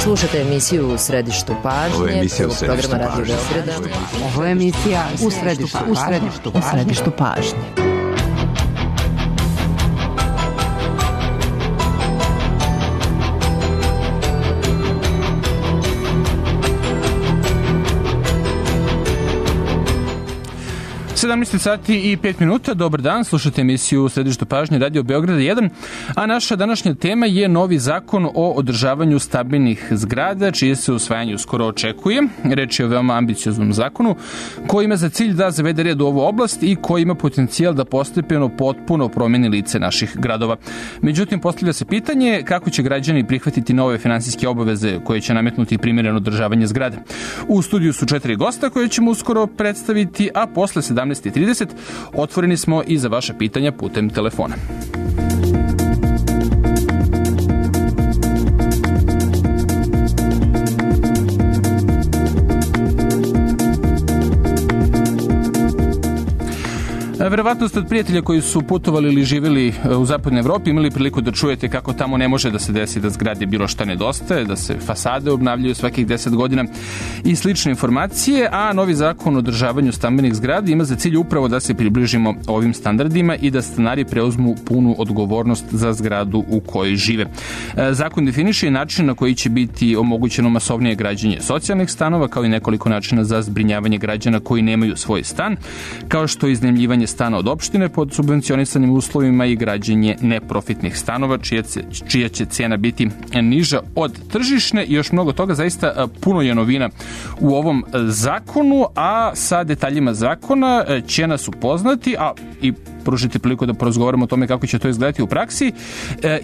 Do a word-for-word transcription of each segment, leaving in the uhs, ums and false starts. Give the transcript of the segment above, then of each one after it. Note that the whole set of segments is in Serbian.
Slušajte emisiju u središtu pažnje. Ovo je emisija u središtu pažnje. Ovo je emisija u središtu pažnje. U središtu pažnje. sedamnaest sati i pet minuta, dobar dan, slušate emisiju u središtu pažnje Radio Beograda jedan, a naša današnja tema je novi zakon o održavanju stabilnih zgrada, čije se usvajanje uskoro očekuje. Reč je o veoma ambicioznom zakonu koji ima za cilj da zavede red u ovu oblast i koji ima potencijal da postepeno potpuno promeni lice naših gradova. Međutim, postavlja se pitanje kako će građani prihvatiti nove finansijske obaveze koje će nametnuti primjereno održavanje zgrade. U studiju su četiri gosta koje ćemo uskoro predstaviti, a posle sedamnaest i trideset otvoreni smo i za vaša pitanja putem telefona. Verovatno ste od prijatelja koji su putovali ili živjeli u zapadnoj Evropi imali priliku da čujete kako tamo ne može da se desi da zgradi bilo šta nedostaje, da se fasade obnavljaju svakih deset godina i slične informacije, a novi zakon o održavanju stambenih zgrada ima za cilj upravo da se približimo ovim standardima i da stanari preuzmu punu odgovornost za zgradu u kojoj žive. Zakon definiše i način na koji će biti omogućeno masovnije građenje socijalnih stanova, kao i nekoliko načina za zbrinjavanje građana koji nemaju svoj stan, kao što je iznajmljivanje stana od opštine pod subvencionisanim uslovima i građenje neprofitnih stanova, čija, čija će cena biti niža od tržišne i još mnogo toga. Zaista puno je novina u ovom zakonu, a sa detaljima zakona će nas upoznati, a i pružiti priliku da porazgovaramo o tome kako će to izgledati u praksi.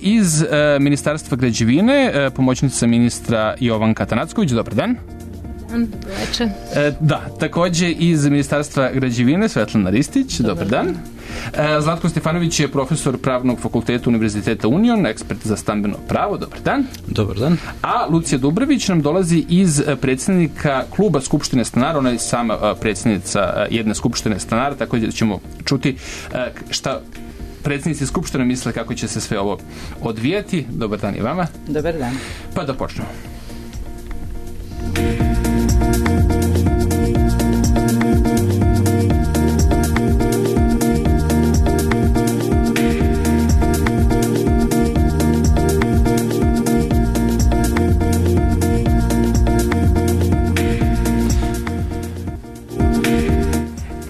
Iz Ministarstva građevine, pomoćnica ministra Jovanka Atanacković, dobar dan. Večer. E, da, takođe iz Ministarstva građevine Svetlana Ristić, dobar, dobar dan. E, Zlatko Stefanović je profesor Pravnog fakulteta Univerziteta Union, ekspert za stambeno pravo, dobar dan. Dobar dan. A Lucija Dubrović nam dolazi iz predsjednika kluba Skupštine stanara, ona je sama predsjednica jedne Skupštine stanara, tako da ćemo čuti šta predsjednici Skupštine misle kako će se sve ovo odvijati. Dobar dan i vama. Dobar dan. Pa da počnemo.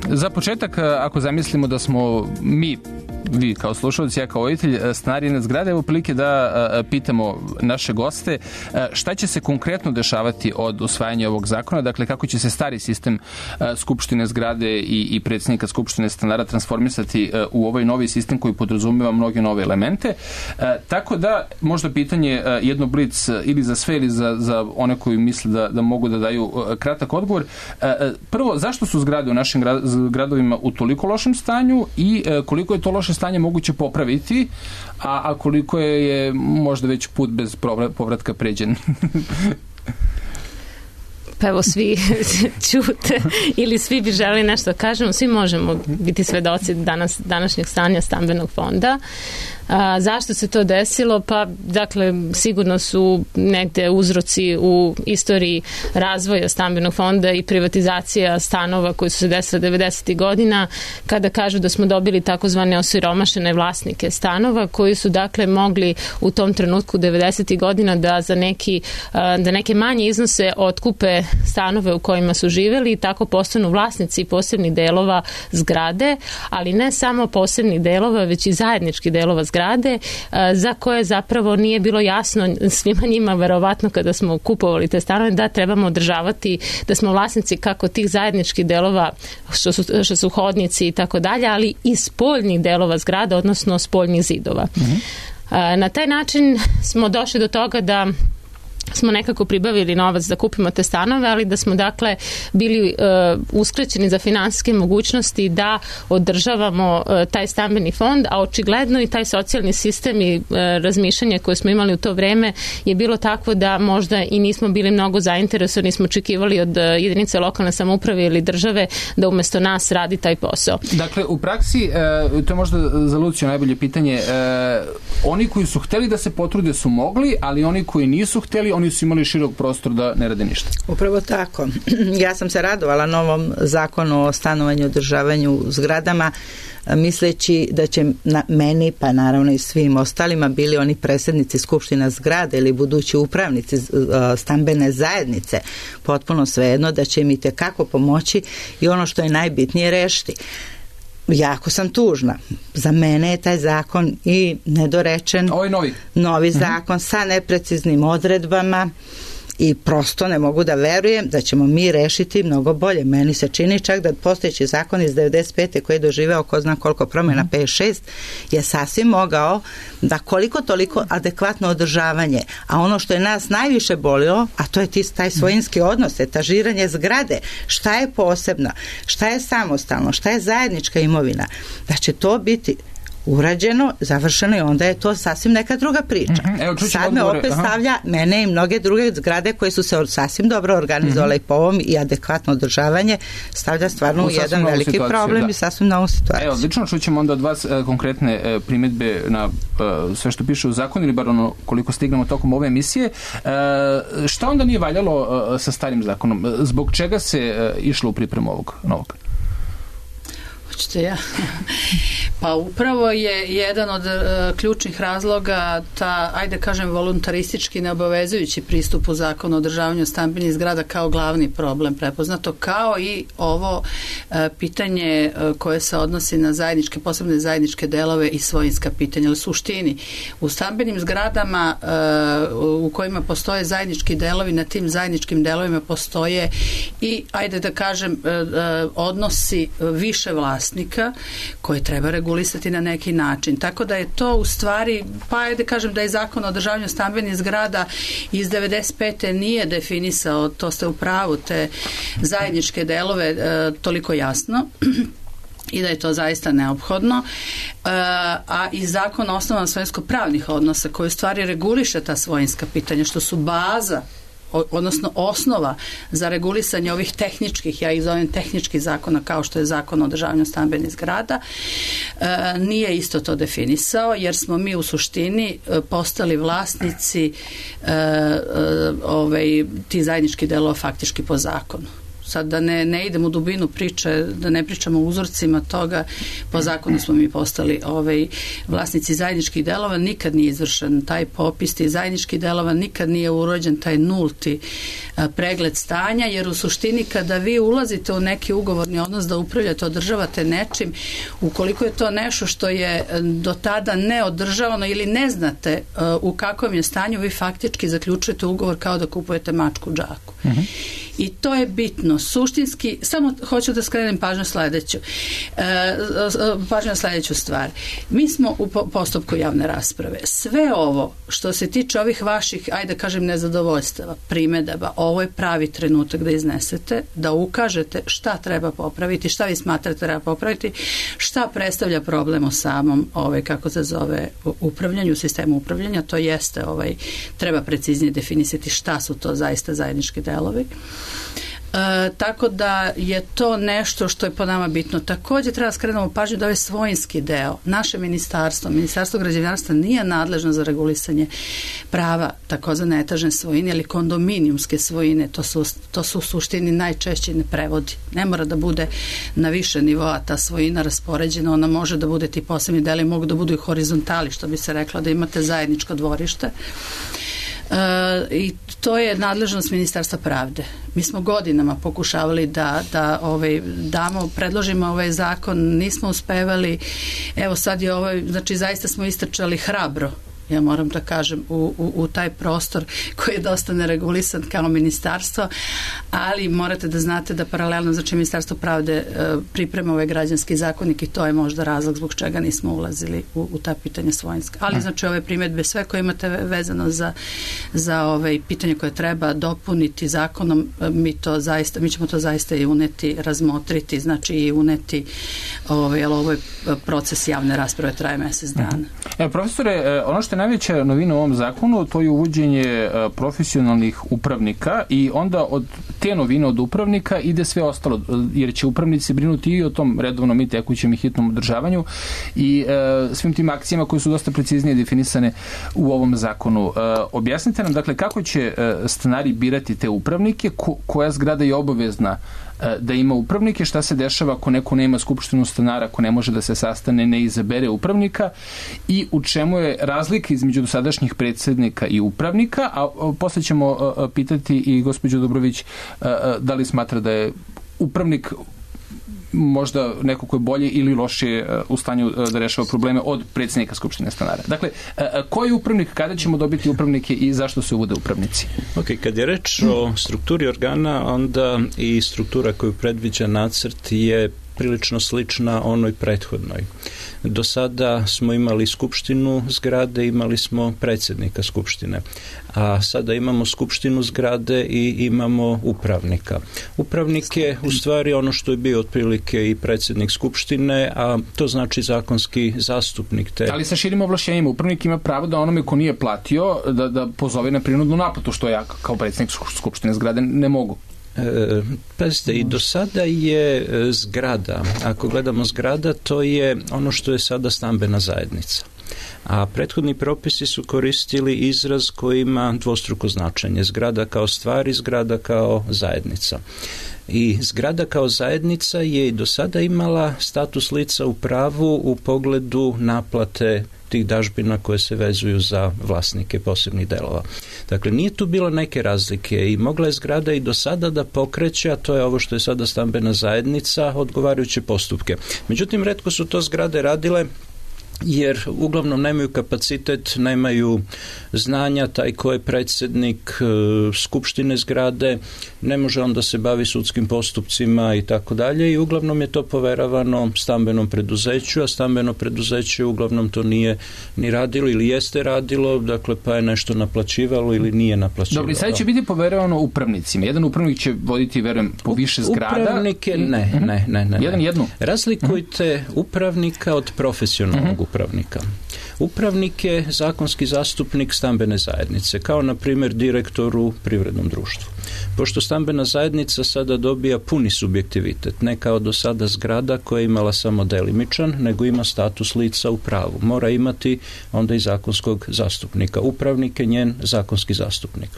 Za početak, ako zamislimo da smo mi, vi kao slušalci, ja kao roditelj, stanari jedne zgrade, evo prilike da pitamo naše goste šta će se konkretno dešavati od usvajanja ovog zakona, dakle kako će se stari sistem Skupštine zgrade i, i predsjednika Skupštine stanara transformisati u ovaj novi sistem koji podrazumeva mnoge nove elemente. Tako da, možda pitanje jedno blic ili za sve ili za, za one koji misle da, da mogu da daju kratak odgovor. Prvo, zašto su zgrade u našim gradovima u toliko lošem stanju i koliko je to loše stanje moguće popraviti, a, a koliko je, je možda već put bez povratka pređen? Pa evo, svi ćute ili svi bi želi nešto da kažemo, svi možemo biti svedoci danas, današnjeg stanja stambenog fonda. A, zašto se to desilo? Pa, dakle, sigurno su negde uzroci u istoriji razvoja stambenog fonda i privatizacija stanova koji su se desile devedesetih godina, kada kažu da smo dobili takozvane osiromašene vlasnike stanova koji su, dakle, mogli u tom trenutku devedesetih godina da za neki, da neke manje iznose otkupe stanove u kojima su živeli i tako postanu vlasnici posebnih delova zgrade, ali ne samo posebnih delova, već i zajedničkih delova zgrade, za koje zapravo nije bilo jasno svima njima, verovatno kada smo kupovali te stanove, da trebamo održavati, da smo vlasnici kako tih zajedničkih delova što su, što su hodnici i tako dalje, ali i spoljnih delova zgrada, odnosno spoljnih zidova. Mm-hmm. Na taj način smo došli do toga da smo nekako pribavili novac da kupimo te stanove, ali da smo dakle bili uh, uskraćeni za finansijske mogućnosti da održavamo uh, taj stambeni fond, a očigledno i taj socijalni sistem i uh, razmišljanje koje smo imali u to vreme je bilo takvo da možda i nismo bili mnogo zainteresovani, smo očekivali od uh, jedinice lokalne samouprave ili države da umesto nas radi taj posao. Dakle, u praksi, uh, to je možda za Luciju najbolje pitanje, uh, oni koji su hteli da se potrude su mogli, ali oni koji nisu hteli, oni oni su imali širok prostor da ne rade ništa. Upravo tako. Ja sam se radovala novom zakonu o stanovanju i održavanju zgradama, misleći da će na meni, pa naravno i svim ostalima, bili oni predsjednici skupština zgrade ili budući upravnici stambene zajednice, potpuno svejedno, da će im i tekako pomoći i ono što je najbitnije rešiti. Jako sam tužna. Za mene je taj zakon i nedorečen. Ovo je novi. Novi zakon sa nepreciznim odredbama i prosto ne mogu da verujem da ćemo mi rešiti mnogo bolje. Meni se čini čak da postojeći zakon iz devedeset pete koji je doživeo ko zna koliko promjena, pet šest, je sasvim mogao da koliko toliko adekvatno održavanje, a ono što je nas najviše bolilo, a to je taj svojinski odnos, etažiranje zgrade, šta je posebno, šta je samostalno, šta je zajednička imovina, da će to biti urađeno, završeno i onda je to sasvim neka druga priča. Mm-hmm. Evo, sad me opet aha. stavlja mene i mnoge druge zgrade koje su se sasvim dobro organizovale mm-hmm. po ovom i adekvatno održavanje, stavlja stvarno u, u jedan veliki problem da. I sasvim novu situaciju. Evo, lično čućemo onda od vas e, konkretne e, primjedbe na e, sve što piše u zakonu ili bar ono koliko stignemo tokom ove emisije. E, šta onda nije valjalo e, sa starim zakonom? Zbog čega se e, išlo u pripremu ovog novog? Hoćete ja? Pa upravo je jedan od uh, ključnih razloga ta, ajde kažem, voluntaristički neobavezujući pristup u zakonu o održavanju stambenih zgrada kao glavni problem prepoznato, kao i ovo uh, pitanje uh, koje se odnosi na zajedničke, posebne zajedničke delove i svojinska pitanja. Ali suštini, u stambenim zgradama uh, u kojima postoje zajednički delovi, na tim zajedničkim delovima postoje i, ajde da kažem, uh, uh, odnosi više vlasnika koje treba regulisati na neki način. Tako da je to u stvari, pa ajde kažem da je zakon o održavanju stambenih zgrada iz devedeset pete nije definisao, to ste u pravu, te zajedničke delove e, toliko jasno i da je to zaista neophodno. E, a i zakon o osnovama svojinsko-pravnih odnosa koji u stvari reguliše ta svojinska pitanja, što su baza odnosno osnova za regulisanje ovih tehničkih, ja ih zovem tehničkih zakona kao što je zakon o održavanju stambenih zgrada, e, nije isto to definisao, jer smo mi u suštini postali vlasnici e, e, ovaj, ti zajednički delova faktički po zakonu. Sad da ne, ne idem u dubinu priče, da ne pričamo o uzorcima toga, po zakonu smo mi postali ovaj, vlasnici zajedničkih delova, nikad nije izvršen taj popis tih zajedničkih delova, nikad nije urođen taj nulti a, pregled stanja, jer u suštini kada vi ulazite u neki ugovorni odnos da upravljate, održavate nečim, ukoliko je to nešto što je do tada neodržavano ili ne znate a, u kakvom je stanju, vi faktički zaključujete ugovor kao da kupujete mačku u džaku. Mm-hmm. I to je bitno. Suštinski, samo hoću da skrenem pažnju sledeću. E, pažnju na sledeću stvar. Mi smo u postupku javne rasprave. Sve ovo što se tiče ovih vaših, ajde kažem, nezadovoljstava, primedaba, ovo je pravi trenutak da iznesete, da ukažete šta treba popraviti, šta vi smatrate treba popraviti, šta predstavlja problem u samom, ovaj, kako se zove, upravljanju, sistemu upravljanja, to jeste, ovaj, treba preciznije definisati šta su to zaista zajednički delovi. E, tako da je to nešto što je po nama bitno. Također treba skrenemo pažnju da ovaj svojinski deo, naše ministarstvo, ministarstvo građevinarstva nije nadležno za regulisanje prava takozvane etažne svojine ili kondominijumske svojine, to su, to su u suštini najčešće ne prevodi. Ne mora da bude na više nivoa ta svojina raspoređena, ona može da bude ti posebni deli, mogu da budu i horizontali, što bi se rekla da imate zajedničko dvorište. Uh, i to je nadležnost Ministarstva pravde. Mi smo godinama pokušavali da, da ovaj, damo, predložimo ovaj zakon, nismo uspevali, evo sad je ovaj, znači zaista smo istrčali hrabro, ja moram da kažem, u, u, u taj prostor koji je dosta neregulisan kao ministarstvo, ali morate da znate da paralelno, znači Ministarstvo pravde e, priprema ovaj građanski zakonik i to je možda razlog zbog čega nismo ulazili u, u ta pitanja svojinska. Ali znači ove primjedbe sve koje imate vezano za, za ove pitanje koje treba dopuniti zakonom, mi to zaista, mi ćemo to zaista i uneti, razmotriti, znači i uneti ovaj, ali ovo je proces javne rasprave, traje mesec dana. Evo, profesore, ono što što je najveća novina u ovom zakonu, to je uvođenje profesionalnih upravnika i onda od te novine od upravnika ide sve ostalo, jer će upravnici brinuti i o tom redovnom i tekućem i hitnom održavanju i e, svim tim akcijama koje su dosta preciznije definisane u ovom zakonu. E, objasnite nam, dakle, kako će e, stanari birati te upravnike, ko, koja zgrada je obavezna da ima upravnike, šta se dešava ako neko nema skupštinu stanara, ako ne može da se sastane, ne izabere upravnika i u čemu je razlika između dosadašnjih predsednika i upravnika, a posle ćemo pitati i gospođu Dobrović da li smatra da je upravnik možda neko ko je bolje ili lošije u stanju da rešava probleme od predsjednika skupštine stanara. Dakle, koji upravnik, kada ćemo dobiti upravnike i zašto se uvode upravnici? Ok, kad je reč o strukturi organa, onda i struktura koju predviđa nacrt je prilično slična onoj prethodnoj. Do sada smo imali skupštinu zgrade, imali smo predsjednika skupštine, a sada imamo skupštinu zgrade i imamo upravnika. Upravnik je u stvari ono što je bio otprilike i predsjednik skupštine, a to znači zakonski zastupnik. Te... Ali sa širim ovlašćenjima, upravnik ima pravo da onome ko nije platio da, da pozove na prinudnu naplatu, što ja kao predsjednik skupštine zgrade ne mogu. E, pazite, i do sada je zgrada, ako gledamo zgrada, to je ono što je sada stambena zajednica. A prethodni propisi su koristili izraz koji ima dvostruko značenje. Zgrada kao stvar i zgrada kao zajednica. I zgrada kao zajednica je i do sada imala status lica u pravu u pogledu naplate tih dažbina koje se vezuju za vlasnike posebnih delova. Dakle, nije tu bilo neke razlike i mogla je zgrada i do sada da pokreće, a to je ovo što je sada stambena zajednica, odgovarajuće postupke. Međutim, retko su to zgrade radile jer uglavnom nemaju kapacitet, nemaju znanja, taj ko je predsjednik e, skupštine zgrade ne može onda se bavi sudskim postupcima i tako dalje i uglavnom je to poveravano stambenom preduzeću, a stambeno preduzeće uglavnom to nije ni radilo ili jeste radilo, dakle pa je nešto naplaćivalo ili nije naplaćivalo. Dobro, i sad će biti poveravano upravnicima. Jedan upravnik će voditi, verujem, po više zgrada. Upravnike, ne, ne, ne, ne. Jedan jednu? Razlikujte upravnika od profesionalnog upravnika. Upravnik je zakonski zastupnik stambene zajednice, kao na primjer direktor u privrednom društvu. Pošto stambena zajednica sada dobija puni subjektivitet, ne kao do sada zgrada koja je imala samo delimičan, nego ima status lica u pravu. Mora imati onda i zakonskog zastupnika. Upravnik je njen zakonski zastupnik.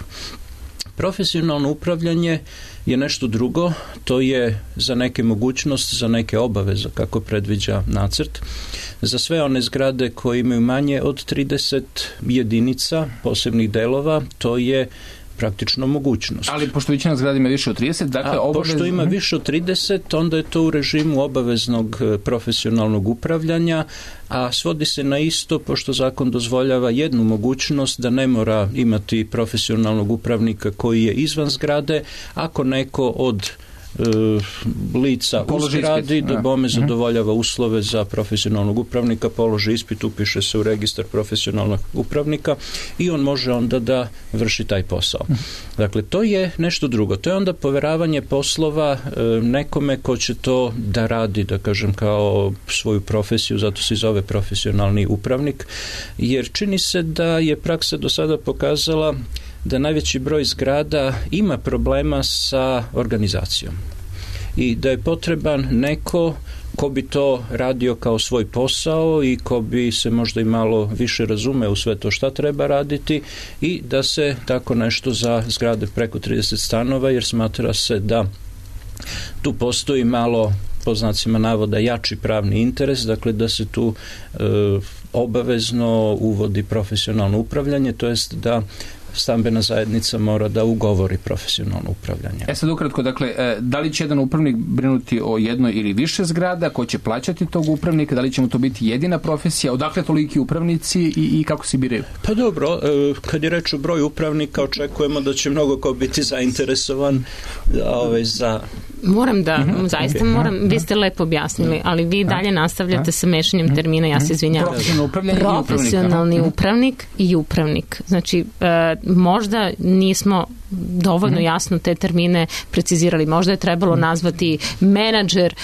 Profesionalno upravljanje je nešto drugo, to je za neke mogućnost, za neke obaveze, kako predviđa nacrt. Za sve one zgrade koje imaju manje od trideset jedinica posebnih delova, to je praktično mogućnost. Ali pošto većina zgrada ima više od trideset, dakle obavez... pošto ima više od trideset, onda je to u režimu obaveznog profesionalnog upravljanja, a svodi se na isto, pošto zakon dozvoljava jednu mogućnost da ne mora imati profesionalnog upravnika koji je izvan zgrade, ako neko od lica u zgradi da bome zadovoljava uslove za profesionalnog upravnika, položi ispit, upiše se u registar profesionalnog upravnika i on može onda da vrši taj posao. Dakle, to je nešto drugo. To je onda poveravanje poslova nekome ko će to da radi, da kažem, kao svoju profesiju, zato se i zove profesionalni upravnik, jer čini se da je praksa do sada pokazala da najveći broj zgrada ima problema sa organizacijom i da je potreban neko ko bi to radio kao svoj posao i ko bi se možda i malo više razume u sve to šta treba raditi i da se tako nešto za zgrade preko trideset stanova, jer smatra se da tu postoji malo, po znacima navoda, jači pravni interes, dakle da se tu e, obavezno uvodi profesionalno upravljanje, to jest da stambena zajednica mora da ugovori profesionalno upravljanje. E sad ukratko, dakle, da li će jedan upravnik brinuti o jednoj ili više zgrada, ko će plaćati tog upravnika, da li će mu to biti jedina profesija, odakle toliki upravnici i, i kako se biraju? Pa dobro, kad je reč o broju upravnika, očekujemo da će mnogo ko biti zainteresovan ovaj, za... Moram da, mm-hmm. zaista moram, mm-hmm. vi ste lepo objasnili, ali vi dalje nastavljate sa mešanjem termina, ja se izvinjavam. Profesionalni upravnik. Profesionalni upravnik i upravnik. Znači, e, možda nismo dovoljno jasno te termine precizirali. Možda je trebalo nazvati menadžer,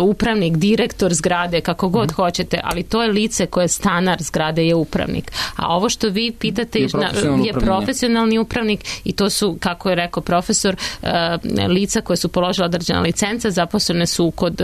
upravnik, direktor zgrade, kako god hoćete, ali to je lice koje je stanar zgrade, je upravnik. A ovo što vi pitate je profesionalni, je profesionalni upravnik i to su, kako je rekao profesor, lica koje su položila određena licenca, zaposlene su kod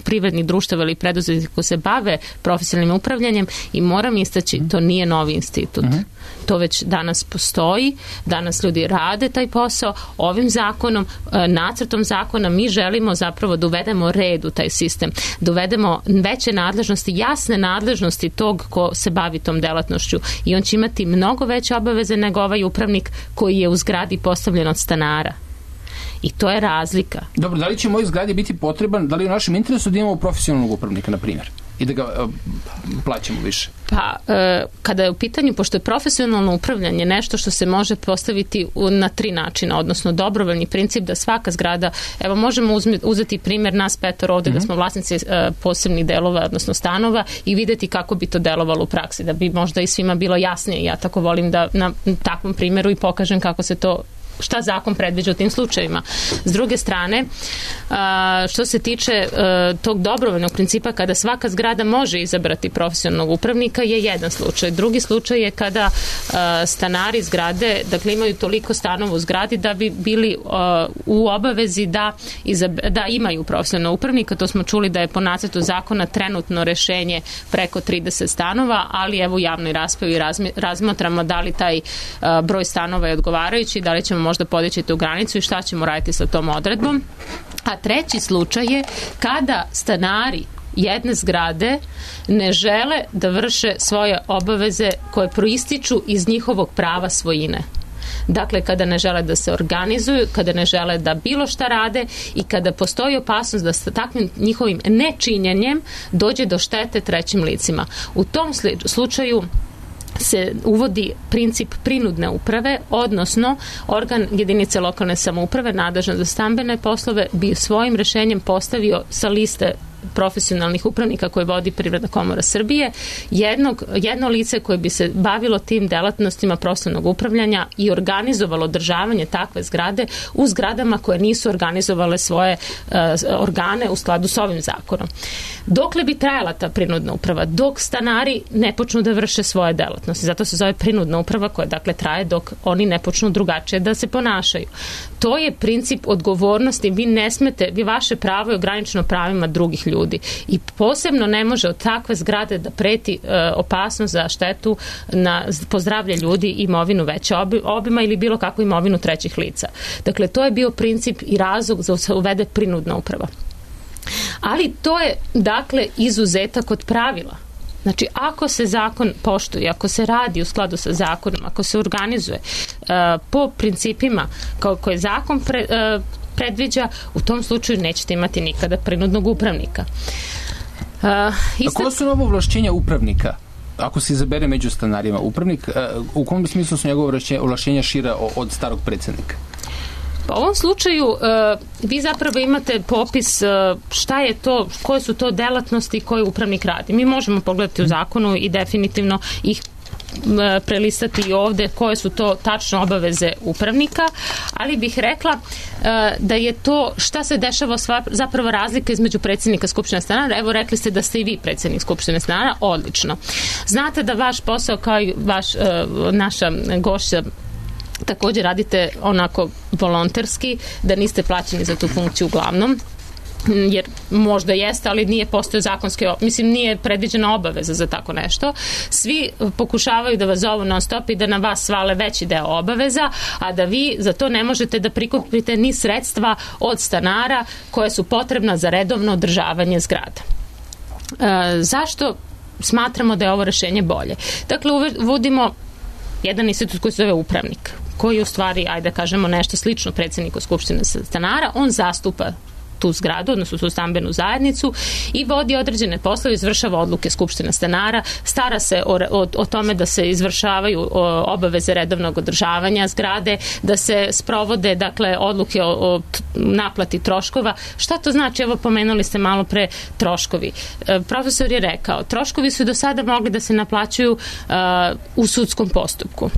privrednih društava ili preduzetnika koji se bave profesionalnim upravljanjem i moram istaći, to nije novi institut. Uh-huh. To već danas postoji, danas ljudi rade taj posao. Ovim zakonom, nacrtom zakona mi želimo zapravo da uvedemo red u taj sistem, da uvedemo veće nadležnosti, jasne nadležnosti tog ko se bavi tom delatnošću i on će imati mnogo veće obaveze nego ovaj upravnik koji je u zgradi postavljen od stanara. I to je razlika. Dobro, da li će moj zgradi biti potreban, da li je u našem interesu da imamo profesionalnog upravnika, na primjer? I da ga uh, plaćamo više? Pa, uh, kada je u pitanju, pošto je profesionalno upravljanje nešto što se može postaviti u, na tri načina, odnosno dobrovoljni princip da svaka zgrada, evo možemo uzme, uzeti primjer nas petor ovde, mm-hmm. da smo vlasnici uh, posebnih delova, odnosno stanova i videti kako bi to delovalo u praksi, da bi možda i svima bilo jasnije. Ja tako volim da na takvom primjeru i pokažem kako se to, šta zakon predviđa u tim slučajevima. S druge strane, što se tiče tog dobrovoljnog principa kada svaka zgrada može izabrati profesionalnog upravnika je jedan slučaj. Drugi slučaj je kada stanari zgrade, dakle imaju toliko stanova u zgradi da bi bili u obavezi da, da imaju profesionalnog upravnika. To smo čuli da je po nacrtu zakona trenutno rešenje preko trideset stanova, ali evo u javnoj raspravi razmatramo da li taj broj stanova je odgovarajući, da li ćemo možda podići tu granicu i šta ćemo raditi sa tom odredbom. A treći slučaj je kada stanari jedne zgrade ne žele da vrše svoje obaveze koje proističu iz njihovog prava svojine. Dakle, kada ne žele da se organizuju, kada ne žele da bilo šta rade i kada postoji opasnost da sa takvim njihovim nečinjenjem dođe do štete trećim licima. U tom slučaju se uvodi princip prinudne uprave, odnosno organ jedinice lokalne samouprave nadležan za stambene poslove bi svojim rešenjem postavio sa liste profesionalnih upravnika koje vodi Privredna komora Srbije, jednog, jedno lice koje bi se bavilo tim delatnostima profesionalnog upravljanja i organizovalo održavanje takve zgrade u zgradama koje nisu organizovale svoje uh, organe u skladu s ovim zakonom. Dokle bi trajala ta prinudna uprava? Dok stanari ne počnu da vrše svoje delatnosti. Zato se zove prinudna uprava koja dakle traje dok oni ne počnu drugačije da se ponašaju. To je princip odgovornosti. Vi ne smete, vi vaše pravo je ograničeno pravima drugih ljudi. I posebno ne može od takve zgrade da preti e, opasnost za štetu na pozdravlje ljudi i imovinu veće obima ili bilo kakvu imovinu trećih lica. Dakle, to je bio princip i razlog za se uvede prinudna uprava. Ali to je, dakle, izuzetak od pravila. Znači, ako se zakon poštuje, ako se radi u skladu sa zakonom, ako se organizuje uh, po principima kao koje zakon pre, uh, predviđa, u tom slučaju nećete imati nikada prinudnog upravnika. Uh, isto... A koje su novo ovlašćenja upravnika? Ako se izabere među stanarima upravnik, uh, u kom smislu su njegove ovlašćenja šira od starog predsjednika? Pa u ovom slučaju uh, vi zapravo imate popis uh, šta je to, koje su to delatnosti koje upravnik radi. Mi možemo pogledati u zakonu i definitivno ih prelistati i ovde koje su to tačno obaveze upravnika, ali bih rekla uh, da je to šta se dešava sva, zapravo razlika između predsjednika Skupštine stanara. Evo, rekli ste da ste i vi predsjednik Skupštine stanara, odlično. Znate da vaš posao kao i vaš, uh, naša gošća također radite onako volonterski, da niste plaćeni za tu funkciju uglavnom, jer možda jeste, ali nije postoje zakonske, mislim, nije predviđena obaveza za tako nešto. Svi pokušavaju da vas zovu non stop i da na vas svale veći deo obaveza, a da vi za to ne možete da prikupite ni sredstva od stanara koje su potrebna za redovno održavanje zgrada. E, zašto smatramo da je ovo rešenje bolje? Dakle, uvodimo jedan institut koji se zove upravnik, koji u stvari, ajde da kažemo nešto slično predsjedniku Skupštine stanara, on zastupa tu zgradu, odnosno tu stambenu zajednicu i vodi određene poslove, izvršava odluke Skupštine stanara, stara se o, o, o tome da se izvršavaju o, obaveze redovnog održavanja zgrade, da se sprovode, dakle, odluke o, o naplati troškova. Šta to znači? Evo, pomenuli ste malo pre troškovi. E, profesor je rekao, troškovi su do sada mogli da se naplaćuju uh, u sudskom postupku.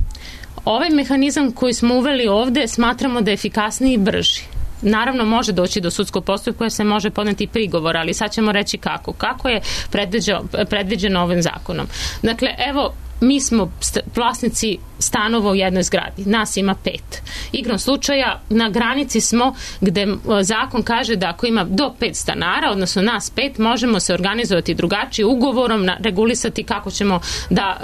Ovaj mehanizam koji smo uveli ovde smatramo da je efikasniji i brži. Naravno, može doći do sudskog postupka jer se može podneti prigovor, ali sad ćemo reći kako. Kako je predviđeno, predviđeno ovim zakonom. Dakle, evo, mi smo vlasnici stanova u jednoj zgradi. Nas ima pet. Igrom slučaja, na granici smo gde zakon kaže da ako ima do pet stanara, odnosno nas pet, možemo se organizovati drugačije ugovorom, na, regulisati kako ćemo da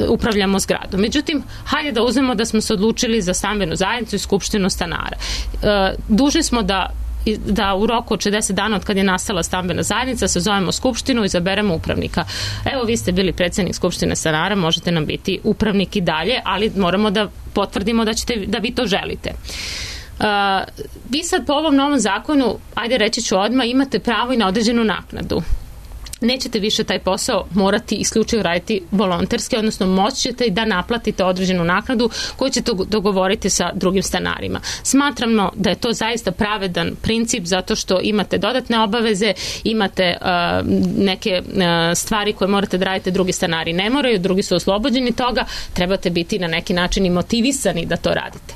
uh, upravljamo zgradom. Međutim, hajde da uzmemo da smo se odlučili za stambenu zajednicu i skupštinu stanara. Uh, dužni smo da da u roku od šezdeset dana od kad je nastala stambena zajednica se zovemo skupštinu i izaberemo upravnika. Evo, vi ste bili predsjednik skupštine stanara, možete nam biti upravnik i dalje, ali moramo da potvrdimo da, ćete, da vi to želite. Uh, vi sad po ovom novom zakonu, ajde reći ću odmah, imate pravo i na određenu naknadu. Nećete više taj posao morati isključivo raditi volonterski, odnosno moći ćete i da naplatite određenu naknadu koju ćete dogovoriti sa drugim stanarima. Smatramo da je to zaista pravedan princip zato što imate dodatne obaveze, imate uh, neke uh, stvari koje morate da radite, drugi stanari ne moraju, drugi su oslobođeni toga, trebate biti na neki način i motivisani da to radite.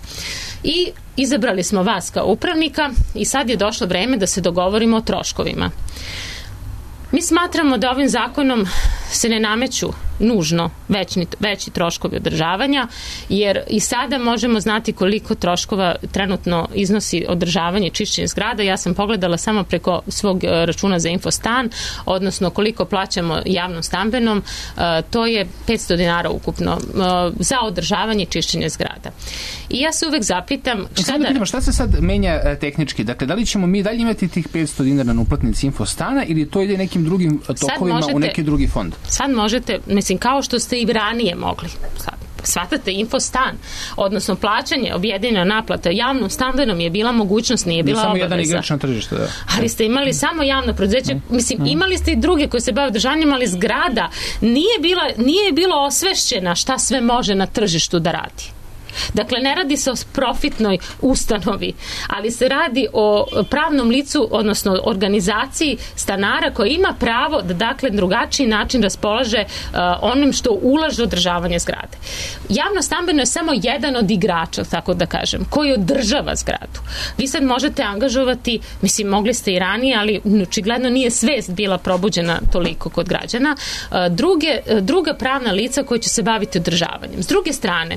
I izabrali smo vas kao upravnika i sad je došlo vreme da se dogovorimo o troškovima. Mi smatramo da ovim zakonom se ne nameću nužno veći, veći troškovi održavanja, jer i sada možemo znati koliko troškova trenutno iznosi održavanje i čišćenje zgrada. Ja sam pogledala samo preko svog računa za Infostan, odnosno koliko plaćamo javnom stambenom, to je petsto dinara ukupno za održavanje i čišćenje zgrada. I ja se uvek zapitam... Šta, da pitamo, šta se sad menja tehnički? Dakle, da li ćemo mi dalje imati tih petsto dinara na uplatnici Infostana ili to ide nekim drugim tokovima možete, u neki drugi fond? Sad možete, mislim, kao što ste i ranije mogli. Sad, shvatate, Infostan, odnosno plaćanje, objedinjena naplata javnom stambenom je bila mogućnost, nije bila obaveza. Samo jedan igrač na tržištu, da. Ali ste imali samo javno preduzeće, mislim, imali ste i druge koji se bave održavanjem, ali zgrada nije bila, nije bilo osvešćena šta sve može na tržištu da radi. Dakle, ne radi se o profitnoj ustanovi, ali se radi o pravnom licu, odnosno organizaciji stanara koji ima pravo da, dakle, drugačiji način raspolaže uh, onim što ulaže održavanje zgrade. Javno stambeno je samo jedan od igrača, tako da kažem, koji održava zgradu. Vi sad možete angažovati, mislim, mogli ste i ranije, ali očigledno nije svest bila probuđena toliko kod građana, uh, druge, druga pravna lica koji će se baviti održavanjem. S druge strane,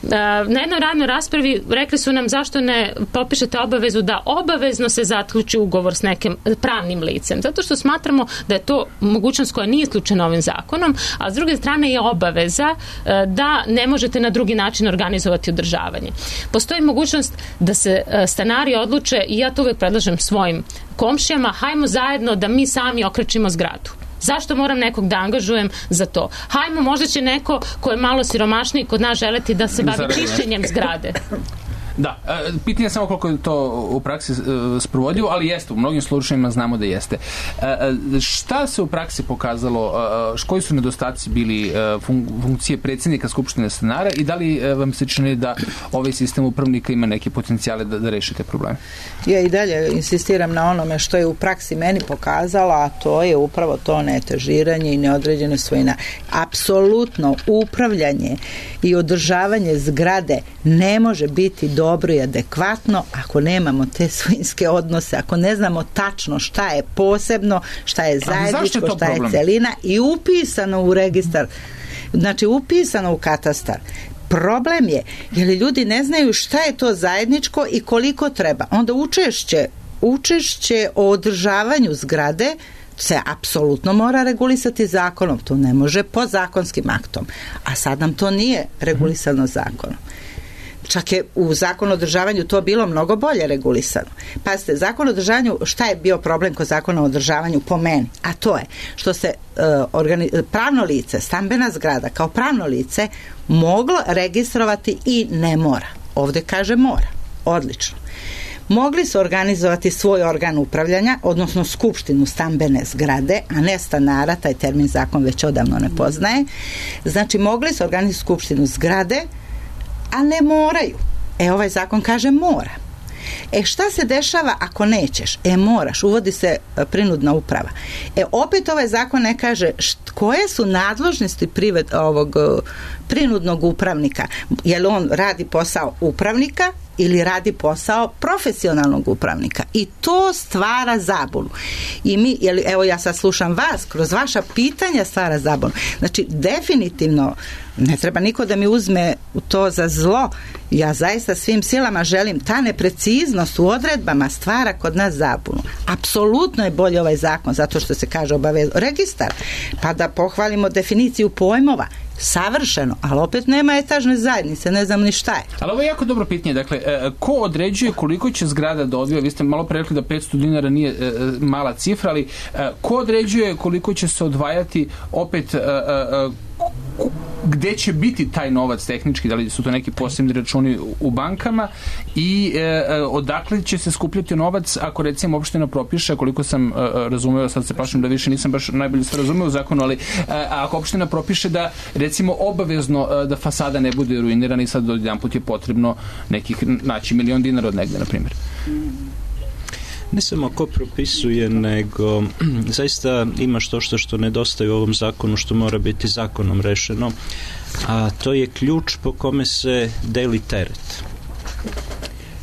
uh, na jednoj radnoj raspravi rekli su nam zašto ne popišete obavezu da obavezno se zaključi ugovor s nekim pravnim licem. Zato što smatramo da je to mogućnost koja nije isključena ovim zakonom, a s druge strane je obaveza da ne možete na drugi način organizovati održavanje. Postoji mogućnost da se stanari odluče, i ja to uvek predlažem svojim komšijama, hajmo zajedno da mi sami okrećimo zgradu. Zašto moram nekog da angažujem za to? Hajmo, možda će neko ko je malo siromašniji kod nas želeti da se bavi čišćenjem zgrade. Da, pitanje je samo koliko je to u praksi sprovodljivo, ali jeste, u mnogim slučajima znamo da jeste. Šta se u praksi pokazalo, koji su nedostaci bili funkcije predsjednika Skupštine stanara i da li vam se čini da ovaj sistem upravnika ima neke potencijale da, da rešite probleme? Ja i dalje insistiram na onome što je u praksi meni pokazala, a to je upravo to neetažiranje i neodređena svojina. Apsolutno upravljanje i održavanje zgrade ne može biti do dobro i adekvatno ako nemamo te svojinske odnose, ako ne znamo tačno šta je posebno, šta je zajedničko, je šta problem? Je celina i upisano u registar, znači upisano u katastar. Problem je, jer ljudi ne znaju šta je to zajedničko i koliko treba. Onda učešće, učešće o održavanju zgrade se apsolutno mora regulisati zakonom. To ne može podzakonskim aktom. A sad nam to nije regulisano zakonom. Čak je u zakonu o održavanju to bilo mnogo bolje regulisano. Pazite, zakon o održavanju, šta je bio problem kod zakona o održavanju po meni? A to je što se uh, organi- pravno lice, stambena zgrada kao pravno lice moglo registrovati i ne mora. Ovde kaže mora. Odlično. Mogli su organizovati svoj organ upravljanja, odnosno skupštinu stambene zgrade, a ne stanara, taj termin zakon već odavno ne poznaje. Znači, mogli su organizovati skupštinu zgrade, a ne moraju. E, ovaj zakon kaže mora. E šta se dešava ako nećeš? E moraš, uvodi se prinudna uprava. E opet ovaj zakon ne kaže št, koje su nadležnosti privet, ovog prinudnog upravnika. Je li on radi posao upravnika ili radi posao profesionalnog upravnika. I to stvara zabunu. I mi, jel, evo ja sad slušam vas, kroz vaša pitanja stvara zabunu. Znači, definitivno ne treba niko da mi uzme to za zlo. Ja zaista svim silama želim, ta nepreciznost u odredbama stvara kod nas zabunu. Apsolutno je bolje ovaj zakon, zato što se kaže obavezno registar, pa da pohvalimo definiciju pojmova. Savršeno, ali opet nema etažne zajednice, ne znam ni šta je. Ali ovo je jako dobro pitanje, dakle, ko određuje koliko će zgrada da odvija, vi ste malo pre rekli da petsto dinara nije e, mala cifra, ali e, ko određuje koliko će se odvajati opet e, e, gde će biti taj novac tehnički, da li su to neki posebni računi u bankama i e, odakle će se skupljati novac ako recimo opština propiše, koliko sam e, razumeo, sad se plašim da više nisam baš najbolje sve razumeo u zakonu, ali e, ako opština propiše da recimo obavezno e, da fasada ne bude ruinirana i sad odjedan put je potrebno nekih naći milion dinara od negde, na primjer. Ne samo ko propisuje, nego zaista ima što što što nedostaje u ovom zakonu, što mora biti zakonom rešeno, a to je ključ po kome se deli teret.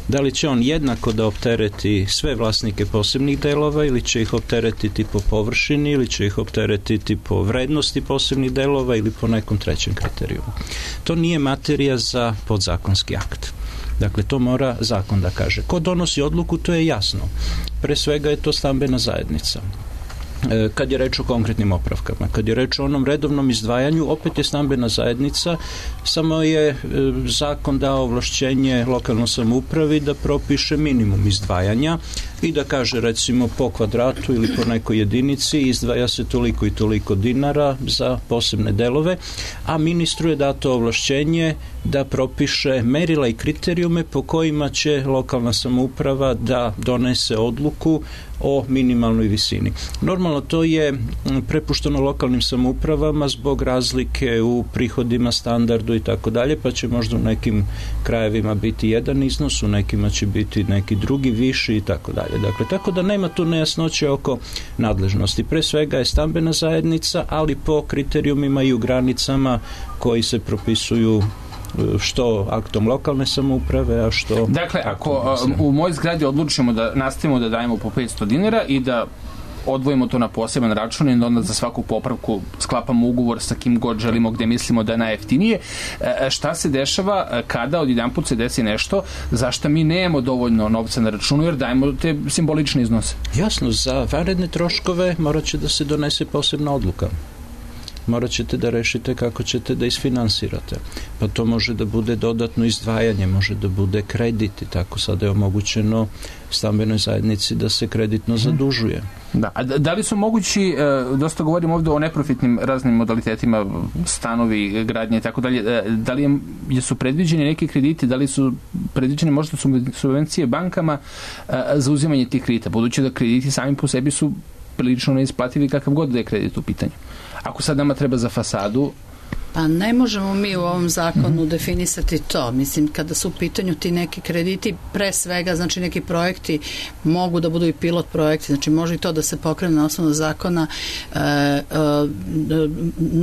Da li će on jednako da optereti sve vlasnike posebnih delova ili će ih opteretiti po površini ili će ih opteretiti po vrednosti posebnih delova ili po nekom trećem kriterijumu. To nije materija za podzakonski akt. Dakle, to mora zakon da kaže. Ko donosi odluku, to je jasno. Pre svega je to stambena zajednica. Kad je reč o konkretnim opravkama, kad je reč o onom redovnom izdvajanju, opet je stambena zajednica, samo je zakon dao ovlašćenje lokalnoj samoupravi da propiše minimum izdvajanja i da kaže recimo po kvadratu ili po nekoj jedinici izdvaja se toliko i toliko dinara za posebne delove, a ministru je dato ovlašćenje da propiše merila i kriterijume po kojima će lokalna samouprava da donese odluku o minimalnoj visini. Normalno to je prepušteno lokalnim samoupravama zbog razlike u prihodima, standardu i tako dalje, pa će možda u nekim krajevima biti jedan iznos, u nekima će biti neki drugi viši i tako dalje. Dakle, tako da nema tu nejasnoće oko nadležnosti. Pre svega je stambena zajednica, ali po kriterijumima i u granicama koji se propisuju što aktom lokalne samouprave, a što... Dakle, ako u mojoj zgradi odlučimo da nastavimo da dajemo po petsto dinara i da odvojimo to na poseban račun i onda za svaku popravku sklapamo ugovor sa kim god želimo, gde mislimo da je najjeftinije, šta se dešava kada odjedanput se desi nešto za što mi nemamo dovoljno novca na računu jer dajemo te simbolične iznose? Jasno, za vanredne troškove morat će da se donese posebna odluka. Morat ćete da rešite kako ćete da isfinansirate. Pa to može da bude dodatno izdvajanje, može da bude kredit i tako sada je omogućeno stambenoj zajednici da se kreditno zadužuje. Da, a da li su mogući, dosta govorim ovdje o neprofitnim raznim modalitetima, stanovi, gradnje i tako dalje, da li je, su predviđeni neki krediti, da li su predviđene možda subvencije bankama za uzimanje tih kredita, budući da krediti sami po sebi su prilično neisplativi kakav god da je kredit u pitanju. Ako sad nama treba za fasadu... Pa ne možemo mi u ovom zakonu mm-hmm. definisati to. Mislim, kada su u pitanju ti neki krediti, pre svega, znači neki projekti mogu da budu i pilot projekti, znači može i to da se pokrene na osnovu zakona. E, e,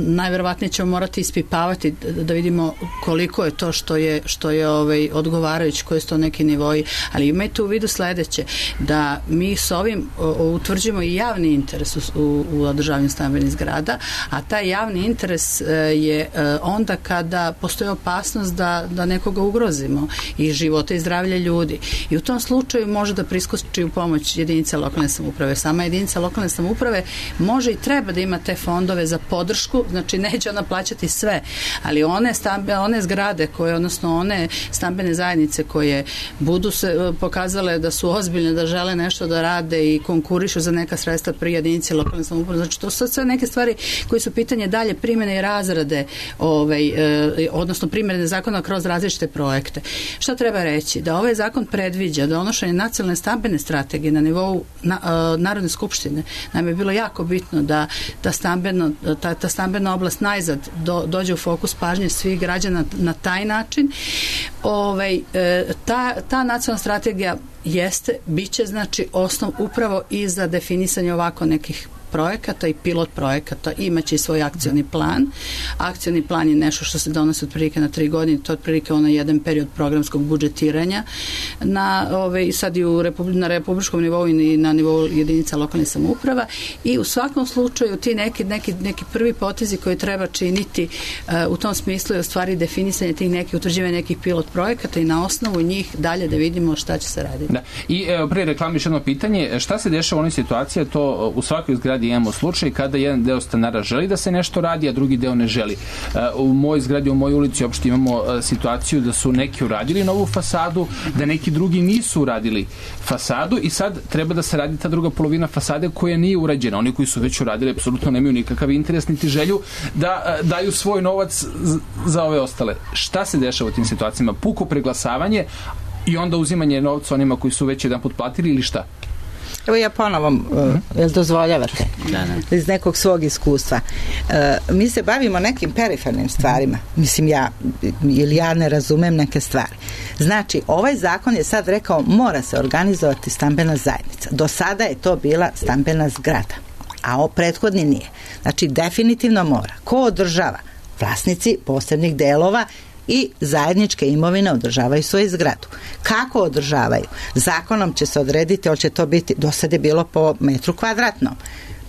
najverovatnije ćemo morati ispipavati da vidimo koliko je to što je, što je ovaj, odgovarajući, koji su to neki nivoji, ali imajte u vidu sledeće, da mi s ovim utvrđujemo i javni interes u, u, u održavanju stambenih zgrada, a taj javni interes je onda kada postoji opasnost da, da nekoga ugrozimo i života i zdravlja ljudi. I u tom slučaju može da priskoči u pomoć jedinice lokalne samouprave. Sama jedinica lokalne samouprave može i treba da ima te fondove za podršku, znači neće ona plaćati sve, ali one, stambe, one zgrade koje, odnosno one stambene zajednice koje budu se pokazale da su ozbiljne, da žele nešto da rade i konkurišu za neka sredstva pri jedinici lokalne samouprave. Znači to su sve neke stvari koje su pitanje dalje primjene i razrade ovaj, e, odnosno primjene zakona kroz različite projekte. Šta treba reći? Da ovaj zakon predviđa donošenje nacionalne stambene strategije na nivou na, e, Narodne skupštine. Nam je bilo jako bitno da, da stambeno, ta, ta stambena oblast najzad do, dođe u fokus pažnje svih građana na taj način. Ovaj, e, ta, ta nacionalna strategija jeste, bit će znači osnov upravo i za definisanje ovako nekih projekata i pilot projekata, imaće i svoj akcioni plan. Akcioni plan je nešto što se donosi otprilike na tri godine, to je otprilike onaj jedan period programskog budžetiranja na, ove, sad i u republi, na republičkom nivou i na nivou jedinica lokalnih samouprava i u svakom slučaju ti neki, neki, neki prvi potezi koje treba činiti uh, u tom smislu je u stvari definisanje tih nekih, utvrđivanja nekih pilot projekata i na osnovu njih dalje da vidimo šta će se raditi. Da. I evo, pre reklami još jedno pitanje, šta se dešava u onoj situaciji, to u svakoj zgradi imamo slučaj kada jedan deo stanara želi da se nešto radi, a drugi deo ne želi. U mojoj zgradi, u mojoj ulici uopšte imamo situaciju da su neki uradili novu fasadu, da neki drugi nisu uradili fasadu i sad treba da se radi ta druga polovina fasade koja nije urađena. Oni koji su već uradili apsolutno nemaju nikakav interes niti želju da daju svoj novac za ove ostale. Šta se dešava u tim situacijama? Puko preglasavanje i onda uzimanje novca onima koji su već jedan put platili ili šta? Evo ja ponovo, uh, jel dozvoljavate? Da, da. Iz nekog svog iskustva. Uh, mi se bavimo nekim perifernim stvarima. Mislim, ja, ili ja ne razumem neke stvari. Znači, ovaj zakon je sad rekao mora se organizovati stambena zajednica. Do sada je to bila stambena zgrada, a o prethodni nije. Znači, definitivno mora. Ko održava? Vlasnici posebnih delova i zajedničke imovine održavaju svoju zgradu. Kako održavaju? Zakonom će se odrediti, ali će to biti, do sada je bilo po metru kvadratnom,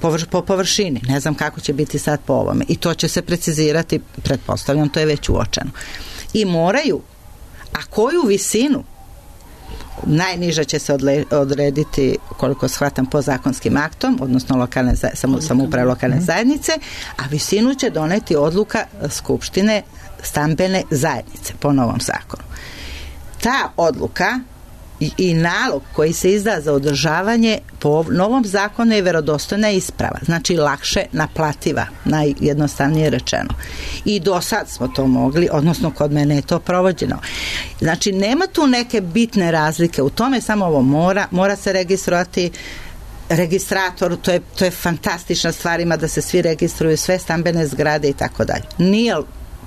po, po površini. Ne znam kako će biti sad po ovome. I to će se precizirati, pretpostavljam, to je već uočeno. I moraju, a koju visinu? Najniža će se odrediti, koliko shvatam, po zakonskim aktom, odnosno lokalne, samo, samouprave lokalne zajednice, a visinu će doneti odluka Skupštine stambene zajednice po novom zakonu. Ta odluka i, i nalog koji se izda za održavanje po novom zakonu je verodostojna isprava, znači lakše naplativa, najjednostavnije rečeno. I do sad smo to mogli, odnosno kod mene je to provođeno. Znači nema tu neke bitne razlike, u tome samo ovo mora, mora se registrovati registrator, to je, to je fantastična stvar, ima da se svi registruju, sve stambene zgrade i tako dalje. Nije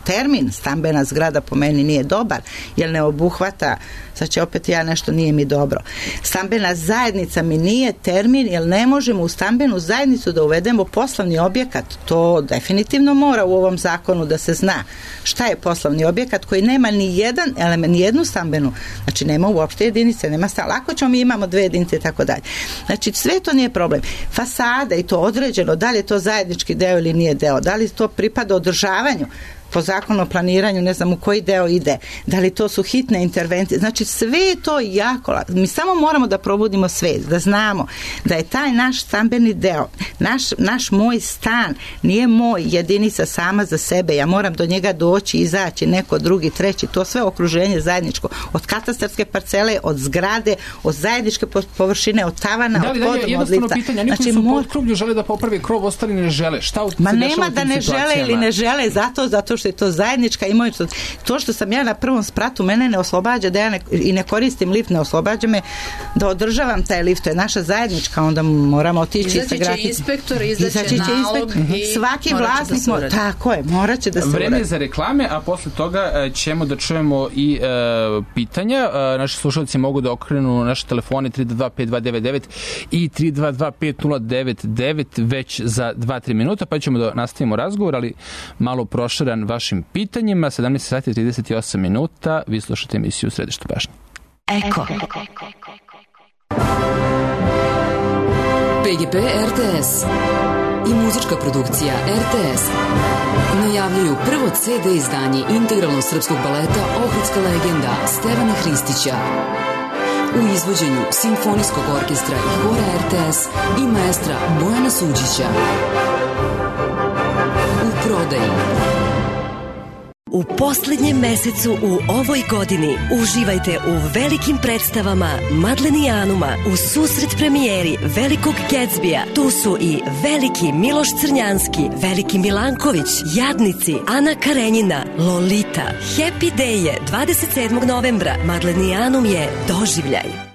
termin stambena zgrada po meni nije dobar, jer ne obuhvata, sad će opet ja nešto nije mi dobro. Stambena zajednica mi nije termin, jer ne možemo u stambenu zajednicu da uvedemo poslovni objekat. To definitivno mora u ovom zakonu da se zna šta je poslovni objekat koji nema ni jedan element, ni jednu stambenu, znači nema uopšte jedinice, nema stan. Lako ćemo, mi imamo dve jedinice i tako dalje. Znači sve to nije problem. Fasada i to određeno, da li je to zajednički deo ili nije deo, da li to pripada održavanju, po zakonu o planiranju, ne znam u koji deo ide, da li to su hitne intervencije, znači sve je to jako, mi samo moramo da probudimo svest, da znamo da je taj naš stambeni deo, naš, naš moj stan nije moj jedinica sama za sebe, ja moram do njega doći, izaći, neko drugi, treći, to sve okruženje zajedničko, od katastarske parcele, od zgrade, od zajedničke površine, od tavana, da li, od poduma, da, od lifta. Pitanje, oni koji znači, su mor... pod krublju žele da popravi krov, ostali ne žele. Šta u, Ma nema da ne žele ili ne žele, zato, zato što je to zajednička imovina. To što sam ja na prvom spratu, mene ne oslobađa da ja ne, i ne koristim lift, ne oslobađa me da održavam taj lift, to je naša zajednička, onda moramo otići izaći sa gratis. Izaći će inspektor, izaći će nalog i svaki vlasnik da mora, tako je, morat će da se vreme je za reklame, a posle toga ćemo da čujemo i uh, pitanja. Uh, naši slušalci mogu da okrenu naše telefone tri dva dva pet dva devet devet i tri dva dva pet nula devet devet već za dva do tri minuta, pa ćemo da nastavimo razgovor, ali malo proširan vašim pitanjima. sedamnaest sati i trideset osam minuta, vi slušate emisiju Središte pažnje. Eko. P G P R T S i muzička produkcija R T S najavljuju prvo C D izdanje integralnog srpskog baleta Ohridska legenda Stevana Hristića u izvođenju Simfonijskog orkestra i hora R T S i maestra Bojana Suđića. U prodaji u posljednjem mesecu u ovoj godini. Uživajte u velikim predstavama Madlenijanuma u susret premijeri Velikog Gatsbija. Tu su i Veliki Miloš Crnjanski, Veliki Milanković, Jadnici, Ana Karenjina, Lolita. Happy Day je dvadeset sedmog novembra. Madlenijanum je doživljaj.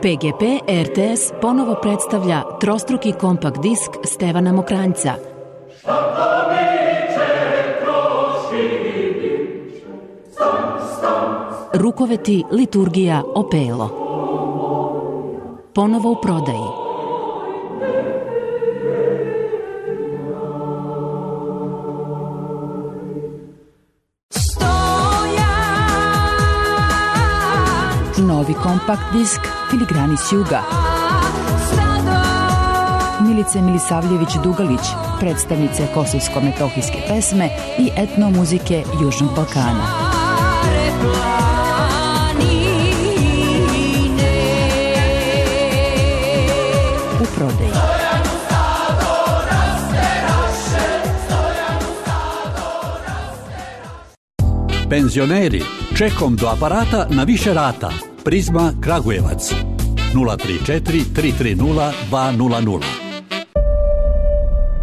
P G P R T S ponovo predstavlja trostruki kompakt disk Stevana Mokranjca. Rukoveti, liturgija, opelo. Ponovo u prodaji. Novi kompakt disk Filigrani s juga. Milice Milisavljević-Dugalić, predstavnice kosovsko-metohijske pesme i etnomuzike Južnog Balkana. U prodaji. Penzioneri, čekom do aparata na više rata. Prizma Kragujevac nula tri četiri tri tri nula dva nula nula.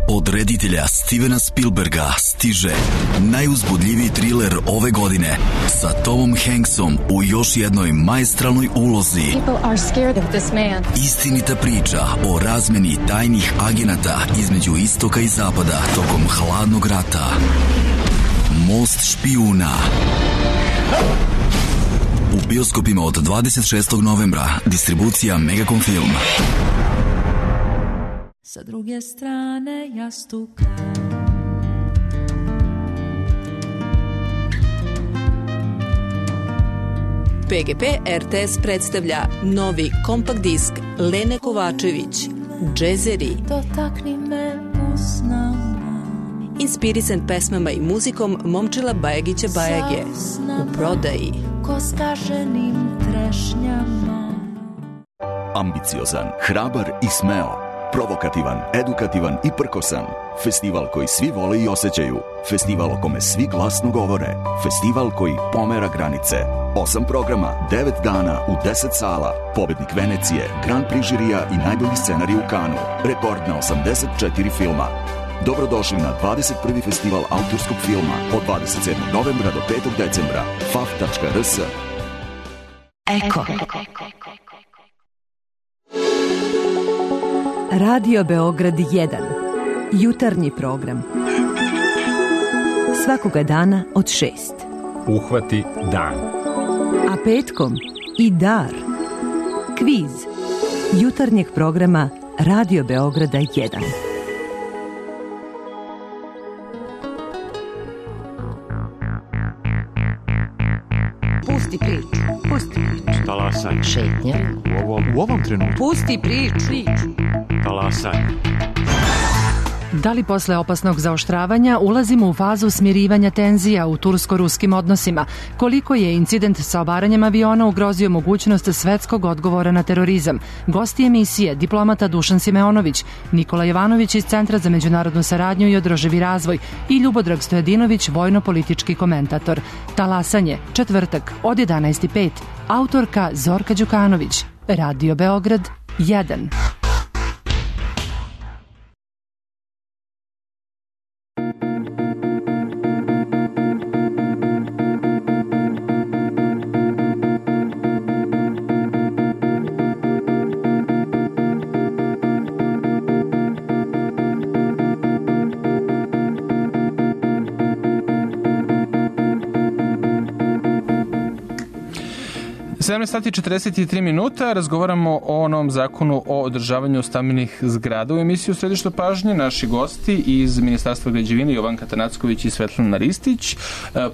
Od reditelja Stevena Spielberga stiže najuzbudljiviji triler ove godine sa Tomom Hanksom u još jednoj maestralnoj ulozi. Istinita priča o razmeni tajnih agenata između istoka i zapada tokom hladnog rata. Most špijuna. U bioskopima od dvadeset šestog novembra. Distribucija Megacom Film. Sa druge strane jastuka P G P R T S predstavlja novi kompakt disk Lene Kovačević, Džezeri. Dotakni me usnama. Inspirisan pesmama i muzikom Momčila Bajagića Bajage. U prodaji. Ko skaženim trešnjama. Ambiciozan, hrabar i smeo. Provokativan, edukativan i prkosan. Festival koji svi vole i osjećaju. Festival o kome svi glasno govore. Festival koji pomera granice. Osam programa, devet dana u deset sala. Pobednik Venecije, Grand Prix žirija i najbolji scenarij u Kanu. Rekord na osamdeset četiri filma. Dobrodošli na dvadeset prvi festival autorskog filma od dvadeset sedmog novembra do petog decembra. f a f tačka r s. Eko. Radio Beograd jedan. Jutarnji program. Svakoga dana od šest. Uhvati dan. A petkom i dar. Kviz. Jutarnjeg programa Radio Beograda jedan. Pusti priču, pusti priču. Talasaj. Šetnja. U ovom, u ovom trenutku. Pusti priču. Talasaj. Da li posle opasnog zaoštravanja ulazimo u fazu smirivanja tenzija u tursko-ruskim odnosima? Koliko je incident sa obaranjem aviona ugrozio mogućnost svetskog odgovora na terorizam? Gosti emisije, diplomata Dušan Simeonović, Nikola Jovanović iz Centra za međunarodnu saradnju i održivi razvoj i Ljubodrag Stojadinović, vojno-politički komentator. Talasanje, četvrtak, od jedanaest i pet. Autorka Zorka Đukanović. Radio Beograd jedan. sedamnaest sati i četrdeset tri minuta, razgovaramo o novom zakonu o održavanju stambenih zgrada. U emisiju Središte pažnje naši gosti iz Ministarstva građevine Jovanka Tanacković i Svetlana Ristić,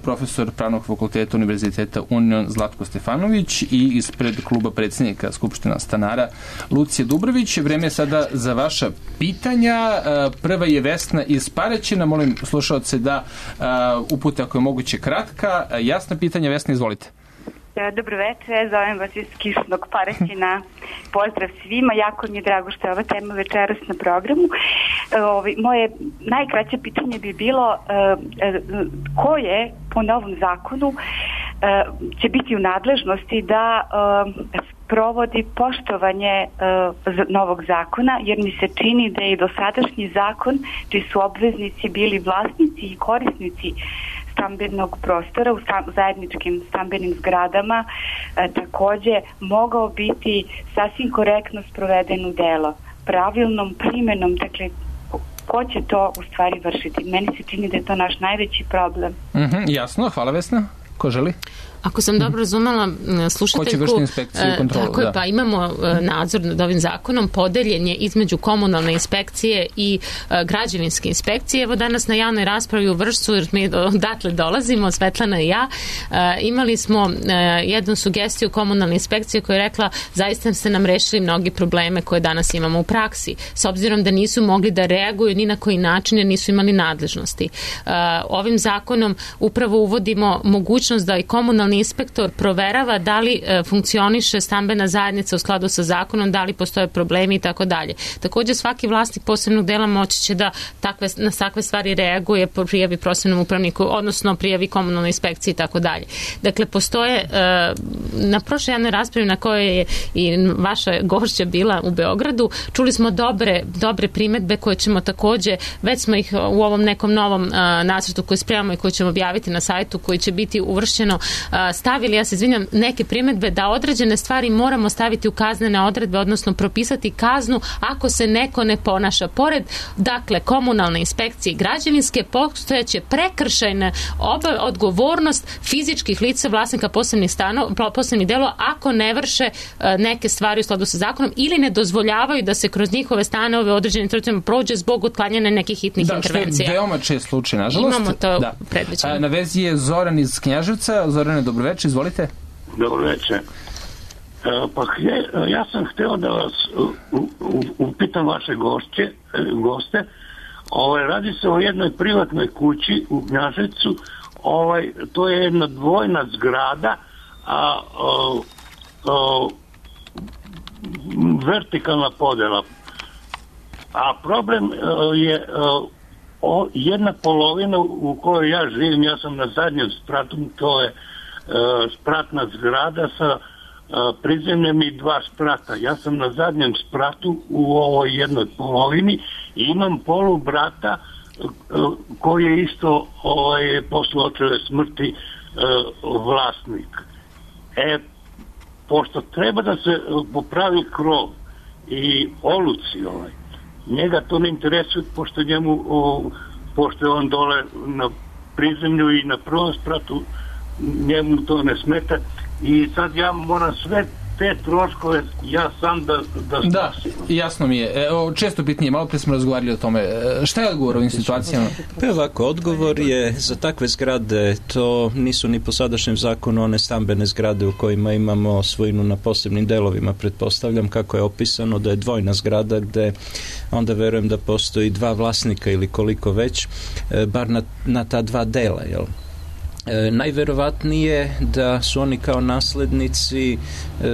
profesor Pravnog fakulteta Univerziteta Union Zlatko Stefanović i ispred kluba predsjednika Skupština stanara Lucija Dubrović. Vreme je sada za vaša pitanja. Prva je Vesna iz Paraćina. Molim slušalce da upute ako je moguće kratka. Jasna pitanja, Vesna, izvolite. Dobro večer, zovem vas iz kišnog Paraćina. Pozdrav svima, jako mi je drago što je ova tema večeras na programu. Ovi, moje najkraće pitanje bi bilo ko je po novom zakonu će biti u nadležnosti da provodi poštovanje novog zakona, jer mi se čini da je i dosadašnji zakon, čiji su obveznici bili vlasnici i korisnici stambenog prostora u zajedničkim stambenim zgradama, e, takođe mogao biti sasvim korektno sproveden u delo, pravilnom primenom, dakle ko će to u stvari vršiti? Meni se čini da je to naš najveći problem. Mm-hmm, jasno, hvala Vesna. Ko želi? Ako sam dobro razumela slušateljku, ko će vršiti inspekciju i kontrolu? Tako je, da. Pa imamo nadzor nad ovim zakonom, podeljen je između komunalne inspekcije i građevinske inspekcije. Evo danas na javnoj raspravi u Vršcu, jer mi odatle dolazimo, Svetlana i ja, imali smo jednu sugestiju komunalne inspekcije koja je rekla zaista ste nam rešili mnogi probleme koje danas imamo u praksi, s obzirom da nisu mogli da reaguju ni na koji način jer nisu imali nadležnosti. Ovim zakonom upravo uvodimo mogućnost da i komunalni inspektor proverava da li e, funkcioniše stambena zajednica u skladu sa zakonom, da li postoje problemi i tako dalje. Također svaki vlasnik posebnog dela moći će da takve, na takve stvari reaguje, prijavi prosebnom upravniku, odnosno prijavi komunalnoj inspekciji i tako dalje. Dakle, postoje e, na prošloj javnoj raspravi na kojoj je i vaša gošća bila u Beogradu, čuli smo dobre, dobre primetbe koje ćemo također, već smo ih u ovom nekom novom e, nacrtu koji spremamo i koji ćemo objaviti na sajtu, koji će biti uvršćeno stavili, ja se izvinjam, neke primjedbe da određene stvari moramo staviti u kaznene odredbe, odnosno propisati kaznu ako se neko ne ponaša. Pored, dakle, komunalne inspekcije i građevinske, postojeće prekršajne odgovornost fizičkih lica vlasnika posebnih stanova, posebnih delova ako ne vrše neke stvari u skladu sa zakonom ili ne dozvoljavaju da se kroz njihove stanove određenim teritorijama prođe zbog otklanjanja nekih hitnih da, intervencija. Da, što je veoma čest slučaj, nažalost. Imamo to da. predviđeno. Na vezi je Zoran iz Knjaževca. Zorane, dobro večer, izvolite. Dobro večer. Pa ja sam hteo da vas upitam vaše gošće, goste. Ovaj, radi se o jednoj privatnoj kući u Knjaževcu. Ovaj, to je jedna dvojna zgrada, a o, o, vertikalna podela. A problem je o, jedna polovina u kojoj ja živim, ja sam na zadnjem spratu, to je spratna zgrada sa prizemljem i dva sprata. Ja sam na zadnjem spratu u ovoj jednoj polovini i imam polu brata koji je isto ovaj, posle očeve smrti vlasnik. E, pošto treba da se popravi krov i oluci ovaj, njega to ne interesuje pošto njemu o, pošto je on dole na prizemlju i na prvom spratu njemu to ne smeta i sad ja moram sve te troškove ja sam da da Da, jasno mi je. Evo, često bitnije, malo pre smo razgovarali o tome. Šta je odgovor u ovim situacijama? Pa ovako, odgovor je za takve zgrade, to nisu ni po sadašnjem zakonu one stambene zgrade u kojima imamo svojinu na posebnim delovima, pretpostavljam kako je opisano da je dvojna zgrada gde onda verujem da postoji dva vlasnika ili koliko već, bar na, na ta dva dela, jel? E, najverovatnije da su oni kao naslednici e,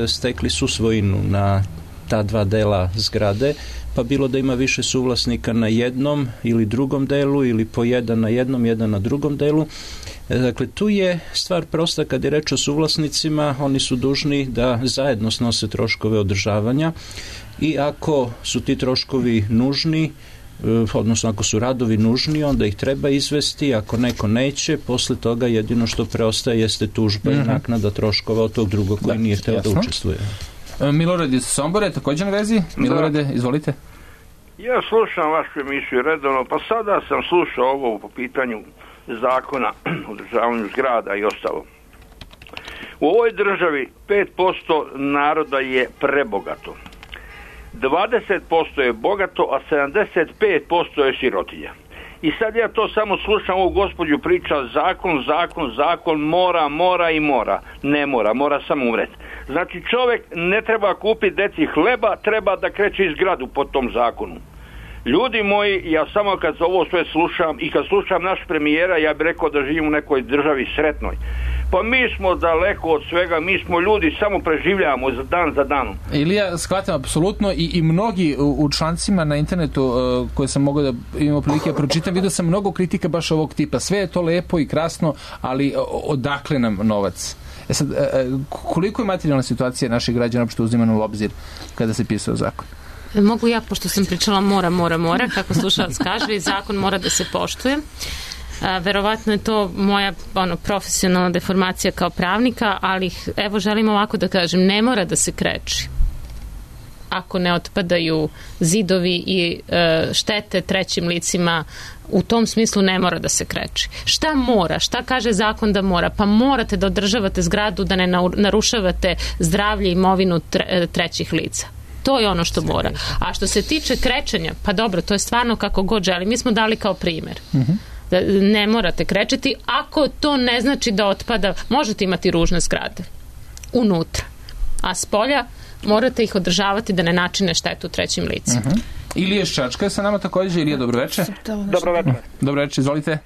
stekli susvojinu na ta dva dela zgrade, pa bilo da ima više suvlasnika na jednom ili drugom delu ili po jedan na jednom, jedan na drugom delu. E, dakle, tu je stvar prosta kad je reč o suvlasnicima, oni su dužni da zajedno snose troškove održavanja i ako su ti troškovi nužni, odnosno ako su radovi nužni, onda ih treba izvesti, ako neko neće, posle toga jedino što preostaje jeste tužba mm-hmm. i naknada troškova od tog drugog koji da, nije hteo da učestvuje. Milorad iz Sombore, također na vezi. Milorade, izvolite. Ja slušam vašu emisiju redovno, pa sada sam slušao ovo po pitanju zakona o održavanju zgrada i ostalo. U ovoj državi pet posto naroda je prebogato. dvadeset posto je bogato, a sedamdeset pet posto je sirotinja. I sad ja to samo slušam, ovu gospođu priča zakon, zakon, zakon, mora, mora i mora. Ne mora, mora samo umreti. Znači čovjek ne treba kupiti deci hleba, treba da kreće iz gradu po tom zakonu. Ljudi moji, ja samo kad ovo sve slušam i kad slušam naš premijera, ja bih rekao da živim u nekoj državi sretnoj. Pa mi smo daleko od svega, mi smo ljudi, samo preživljavamo za dan za danom. Ilija, shvatam apsolutno i, i mnogi u, u člancima na internetu uh, koje sam mogao da imam prilike da pročitam, vidio sam mnogo kritika baš ovog tipa. Sve je to lepo i krasno, ali odakle nam novac? E sad, uh, koliko je materijalna situacija naših građana uopšte uzimana u obzir kada se pisao zakon? Mogu ja, pošto sam pričala mora, mora, mora, kako slušalac kaže, i zakon mora da se poštuje. A, verovatno je to moja ono, profesionalna deformacija kao pravnika, ali evo želim ovako da kažem, ne mora da se kreči ako ne otpadaju zidovi i e, štete trećim licima. U tom smislu ne mora da se kreči. Šta mora? Šta kaže zakon da mora? Pa morate da održavate zgradu, da ne narušavate zdravlje i imovinu tre, trećih lica. To je ono što mora. A što se tiče krečenja, pa dobro, to je stvarno kako god želi. Mi smo dali kao primjer. Mm-hmm. Da ne morate krečiti, ako to ne znači da otpada, možete imati ružne zgrade unutra, a s polja morate ih održavati da ne načine štetu trećim licima. Uh-huh. Ilija Ščačka je sa nama također. Ilija, dobroveče. Dobroveče. Dobroveče, izvolite.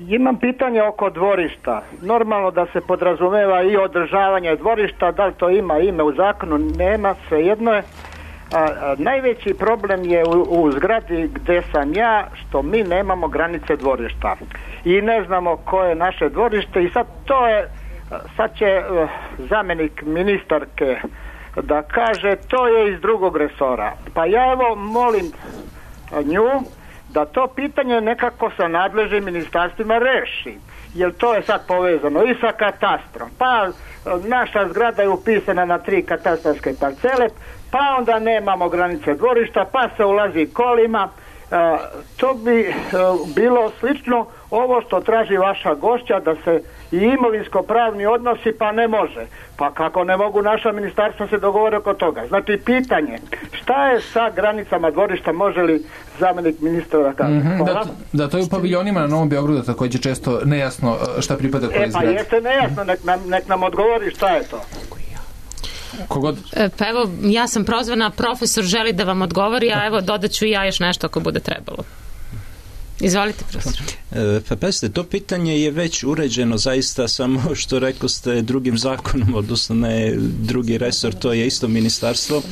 Imam pitanje oko dvorišta. Normalno da se podrazumeva i održavanje dvorišta, da li to ima ime u zakonu, nema, svejedno je. A, a, najveći problem je u, u zgradi gdje sam ja, što mi nemamo granice dvorišta i ne znamo koje je naše dvorište i sad to je, sad će uh, zamjenik ministarke da kaže to je iz drugog resora. Pa ja evo molim nju da to pitanje nekako sa nadležnim ministarstvima reši, jer to je sad povezano i sa katastrom. Pa naša zgrada je upisana na tri katastarske parcele, pa onda nemamo granice dvorišta, pa se ulazi kolima. E, to bi e, bilo slično ovo što traži vaša gošća, da se i imovinsko-pravni odnosi, pa ne može. Pa kako ne mogu naša ministarstva se dogovore oko toga? Znači, pitanje, šta je sa granicama dvorišta, može li zamjenik ministra da kaže? Mm-hmm, da, da, to je u paviljonima na Novom Beogradu također često nejasno šta pripada koji e, pa zgrad. Jeste nejasno, nek nam, nek nam odgovori šta je to. Kogod? Pa evo, ja sam prozvana, profesor želi da vam odgovori, a evo dodat ću i ja još nešto ako bude trebalo. Izvolite, profesor. E, pa pazite, to pitanje je već uređeno zaista, samo što rekao ste drugim zakonom, odnosno ne drugi resor, to je isto ministarstvo.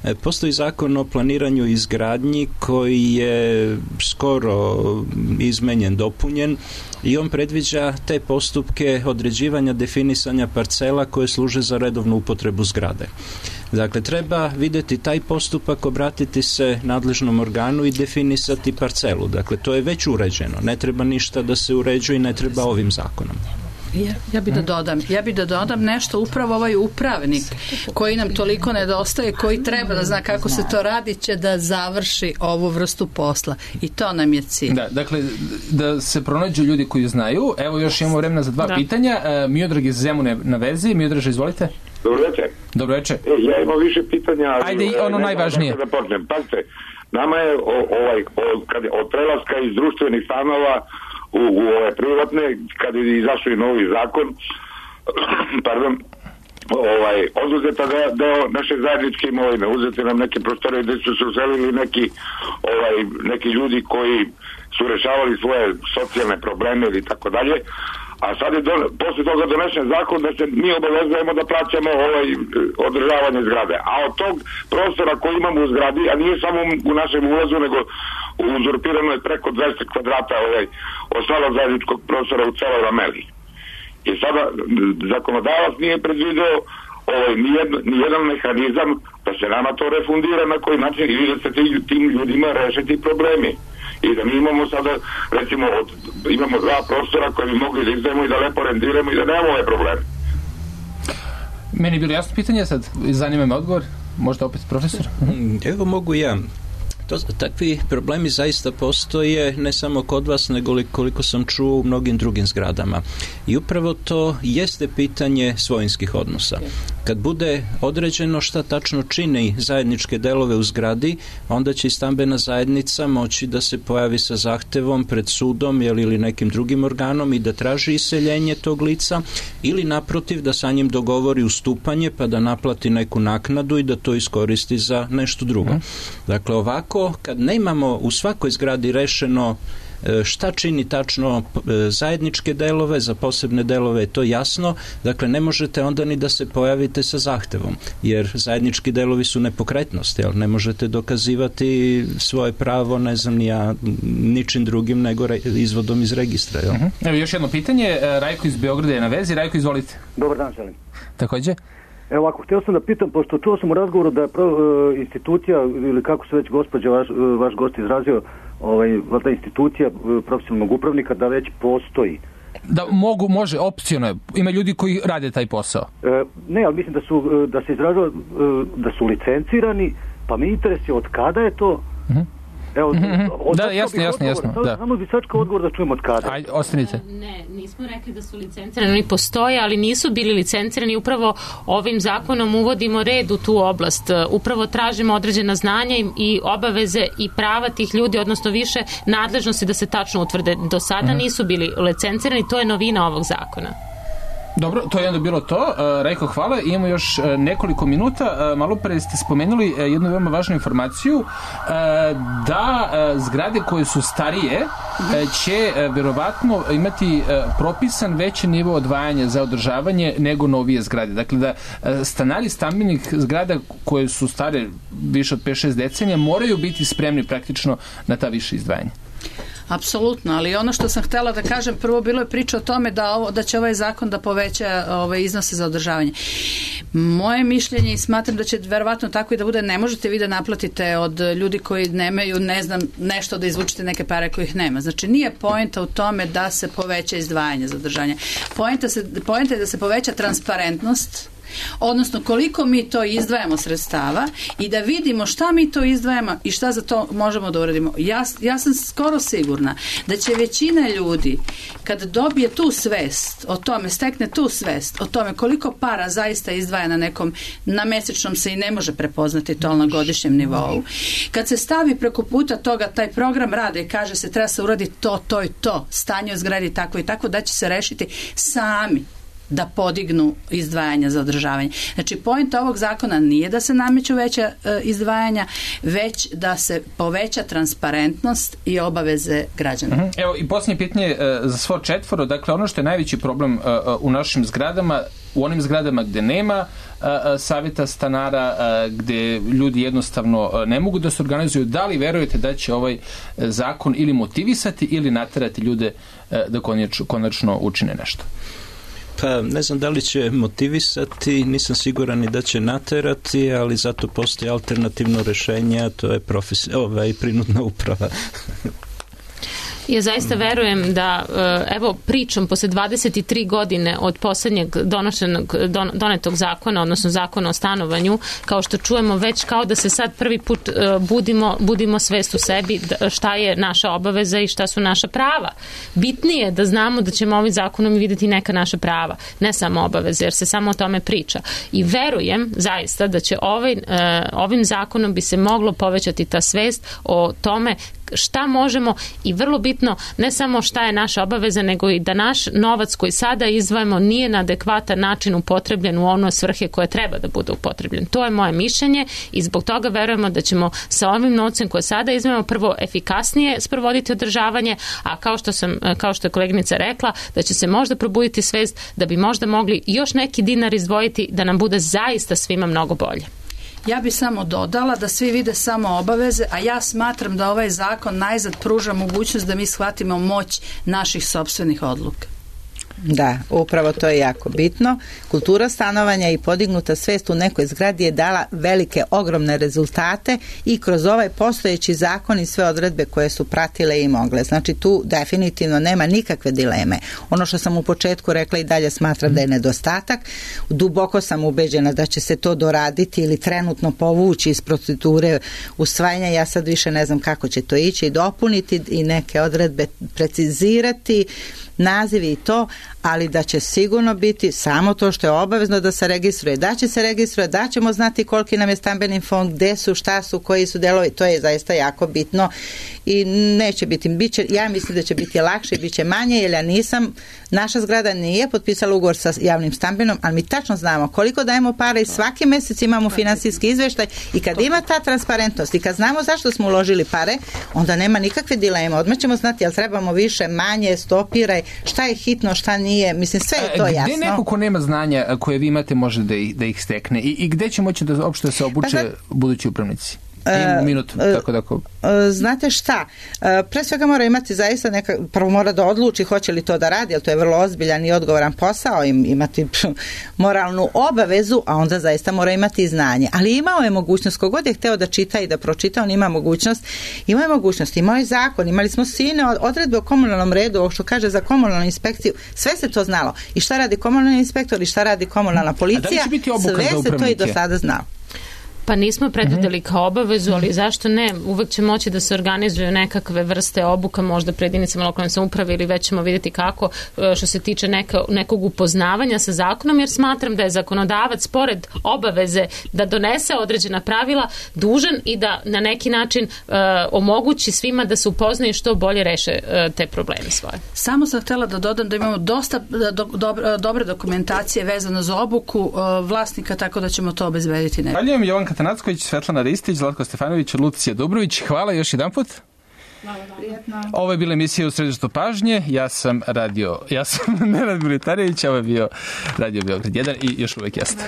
E, postoji zakon o planiranju i izgradnji koji je skoro izmenjen, dopunjen i on predviđa te postupke određivanja, definisanja parcela koje služe za redovnu upotrebu zgrade. Dakle, treba vidjeti taj postupak, obratiti se nadležnom organu i definisati parcelu. Dakle, to je već uređeno. Ne treba ništa da se uređuje i ne treba ovim zakonom. Ja, ja bi da dodam, ja bi da dodam nešto, upravo ovaj upravnik koji nam toliko nedostaje, koji treba da zna kako se to radi, će da završi ovu vrstu posla. I to nam je cilj. Da, dakle, da se pronađu ljudi koji znaju. Evo još imamo vremena za dva da. pitanja. E, Miodrag iz Zemune na vezi. Miodraže, izvolite. Dobro večer. Dobro večer. E, ja imam više pitanja. Ajde, i ono najvažnije. Da počnem. Pazite, nama je o, ovaj, o, kad, od prelaska iz društvenih stanova u, u ove privatne, kad je izašao i novi zakon, pardon, ovaj, oduzeta deo, deo naše zajedničke imovine, uzete nam neke prostore gdje su se uselili neki, ovaj, neki ljudi koji su rešavali svoje socijalne probleme ili tako dalje, a sad je do, posle toga donesen zakon da se mi obavezujemo da plaćamo ovaj održavanje zgrade. A od tog prostora koji imamo u zgradi, a nije samo u našem ulazu, nego uzurpirano je preko dvesta kvadrata ovaj, ostalog zajedničkog prostora u celoj Rameli. I sada zakonodavac nije predvideo ovaj, nijedno, nijedan mehanizam da se nama to refundira na koji način ili da se tim ljudima rešiti problemi. I da mi imamo sada, recimo, od, imamo dva prostora koje bi mogli da izdajemo i da lepo rendiramo i da nemamo ove probleme. Meni je bilo jasno pitanje, sad zanima me odgovor. Možda opet profesor? Evo mogu ja. To, takvi problemi zaista postoje ne samo kod vas, nego koliko sam čuo u mnogim drugim zgradama. I upravo to jeste pitanje svojinskih odnosa. Kad bude određeno šta tačno čini zajedničke delove u zgradi, onda će i stambena zajednica moći da se pojavi sa zahtevom pred sudom ili nekim drugim organom i da traži iseljenje tog lica ili naprotiv da sa njim dogovori ustupanje pa da naplati neku naknadu i da to iskoristi za nešto drugo. Dakle, ovako kad nemamo u svakoj zgradi rešeno Šta čini tačno zajedničke delove, za posebne delove je to jasno, dakle ne možete onda ni da se pojavite sa zahtevom, jer zajednički delovi su nepokretnost, jel? Ne možete dokazivati svoje pravo, ne znam ni ja, ničim drugim nego izvodom iz registra. Jel? Uh-huh. Evo još jedno pitanje, Rajko iz Beograda je na vezi. Rajko, izvolite. Dobar dan, želim. Takođe? Evo ovako, htio sam da pitam, pošto čuo sam u razgovoru da je pro, e, institucija, ili kako se već gospođa, vaš, vaš gost izrazio, ovaj, ta institucija e, profesionalnog upravnika, da već postoji. Da mogu, može, opciono. Ima ljudi koji rade taj posao. E, ne, ali mislim da su, da se izrazio, e, da su licencirani, pa me interesuje od kada je to. Uh-huh. Evo, mm-hmm. Da, jasno, jasno, jasno. Da. Samo bi sačka odgovor da čujemo od kada. Ajde, ostanite. Ne, nismo rekli da su licencirani, oni postoje, ali nisu bili licencirani. Upravo ovim zakonom uvodimo red u tu oblast. Upravo tražimo određena znanja i obaveze i prava tih ljudi, odnosno više nadležnosti da se tačno utvrde. Do sada mm-hmm. nisu bili licencirani, to je novina ovog zakona. Dobro, to je onda bilo to. Uh, Rajko, hvala. Imamo još uh, nekoliko minuta. Uh, malo pre ste spomenuli uh, jednu veoma važnu informaciju uh, da uh, zgrade koje su starije uh, će uh, verovatno imati uh, propisan veći nivo odvajanja za održavanje nego novije zgrade. Dakle, da uh, stanari stambenih zgrada koje su stare više od pet šest decenija moraju biti spremni praktično na ta više izdvajanja. Apsolutno, ali ono što sam htjela da kažem, prvo bilo je priča o tome da, ovo, da će ovaj zakon da poveća ove iznose za održavanje. Moje mišljenje i smatram da će verovatno tako i da bude, ne možete vi da naplatite od ljudi koji nemaju, ne znam, nešto da izvučete neke pare kojih nema. Znači nije poenta u tome da se poveća izdvajanje za održavanje. Poenta, se, poenta je da se poveća transparentnost, odnosno koliko mi to izdvajamo sredstava i da vidimo šta mi to izdvajamo i šta za to možemo da uradimo. Ja, ja sam skoro sigurna da će većina ljudi kad dobije tu svest o tome, stekne tu svest o tome koliko para zaista izdvaja na nekom, na mesečnom se i ne može prepoznati to na godišnjem nivou. Kad se stavi preko puta toga taj program rade i kaže se treba se uraditi to, to i to, stanje u zgradi tako i tako, da će se rešiti sami da podignu izdvajanja za održavanje. Znači, poenta ovog zakona nije da se nameću veća e, izdvajanja, već da se poveća transparentnost i obaveze građana. Uh-huh. Evo, i posljednje pitanje e, za svo četvoro. Dakle, ono što je najveći problem e, u našim zgradama, u onim zgradama gde nema e, savjeta stanara, e, gde ljudi jednostavno e, ne mogu da se organizuju, da li verujete da će ovaj zakon ili motivisati ili naterati ljude e, da konačno, konačno učine nešto? Pa ne znam da li će motivisati, nisam siguran i da će naterati, ali zato postoji alternativno rešenje, a to je profes... ovaj, prinudna uprava. Ja zaista verujem da, evo, pričam posle dvadeset tri godine od poslednjeg donošenog, don, donetog zakona, odnosno zakona o stanovanju, kao što čujemo već kao da se sad prvi put budimo, budimo svest u sebi šta je naša obaveza i šta su naša prava. Bitnije je da znamo da ćemo ovim zakonom videti neka naša prava, ne samo obaveze, jer se samo o tome priča. I verujem zaista da će ovaj, ovim zakonom bi se moglo povećati ta svest o tome šta možemo i vrlo bitno ne samo šta je naša obaveza, nego i da naš novac koji sada izdvajamo nije na adekvatan način upotrebljen u ono svrhe koje treba da bude upotrebljen. To je moje mišljenje i zbog toga verujemo da ćemo sa ovim novcem koje sada izdvajamo prvo efikasnije sprovoditi održavanje, a kao što sam, kao što je koleginica rekla, da će se možda probuditi svest da bi možda mogli još neki dinar izdvojiti da nam bude zaista svima mnogo bolje. Ja bi samo dodala da svi vide samo obaveze, a ja smatram da ovaj zakon najzad pruža mogućnost da mi shvatimo moć naših sopstvenih odluka. Da, upravo to je jako bitno. Kultura stanovanja i podignuta svest u nekoj zgradi je dala velike, ogromne rezultate i kroz ovaj postojeći zakon i sve odredbe koje su pratile i mogle. Znači tu definitivno nema nikakve dileme. Ono što sam u početku rekla i dalje smatram da je nedostatak. Duboko sam ubeđena da će se to doraditi ili trenutno povući iz procedure usvajanja. Ja sad više ne znam kako će to ići i dopuniti i neke odredbe precizirati, nazivi i to, ali da će sigurno biti samo to što je obavezno da se registruje, da će se registruje, da ćemo znati koliki nam je stambeni fond, gde su, šta su, koji su delovi, to je zaista jako bitno i neće biti, bit će, ja mislim da će biti lakše i bit će manje, jer ja nisam, naša zgrada nije potpisala ugovor sa javnim stambenom, ali mi tačno znamo koliko dajemo para i svaki mjesec imamo finansijski izveštaj i kad ima ta transparentnost i kad znamo zašto smo uložili pare, onda nema nikakve dileme, odmah ćemo znati jel trebamo više, manje, stopiraj, šta je hitno, šta nije, mislim sve je to gde jasno. Gde neko ko nema znanja koje vi imate može da ih, da ih stekne i, i gde će moći da uopšte se obuče pa, budući upravnici? Imamo minutu, tako da ako... Znate šta, pre svega mora imati zaista neka, prvo mora da odluči hoće li to da radi, jer to je vrlo ozbiljan i odgovoran posao, im, imati moralnu obavezu, a onda zaista mora imati i znanje. Ali imao je mogućnost, kogod je hteo da čita i da pročita, on ima mogućnost, imao je mogućnost, imao je zakon, imali smo sine odredbe o komunalnom redu, ovo što kaže za komunalnu inspekciju, sve se to znalo. I šta radi komunalni inspektor i šta radi komunalna policija, sve se to i do sada znalo. Pa nismo predvideli kao obavezu, ali zašto ne? Uvek će moći da se organizuju nekakve vrste obuka, možda pred jedinicama lokalne samouprave ili već ćemo vidjeti kako, što se tiče neka, nekog upoznavanja sa zakonom, jer smatram da je zakonodavac pored obaveze da donese određena pravila dužan i da na neki način uh, omogući svima da se upoznaju što bolje reše uh, te probleme svoje. Samo sam htjela da dodam da imamo dosta do, do, dobre dokumentacije vezano za obuku uh, vlasnika, tako da ćemo to obezbediti. Zahvaljujem. Jovanka Tanacković, Svetlana Ristić, Zlatko Stefanović, Lucija Dubrović. Hvala još jedan put. Ovo je bila emisija U središtu pažnje. Ja sam radio, ja sam Nenad Militarević, ovo je bio Radio Beograd jedan i još uvek jeste.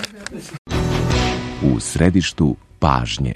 U središtu pažnje.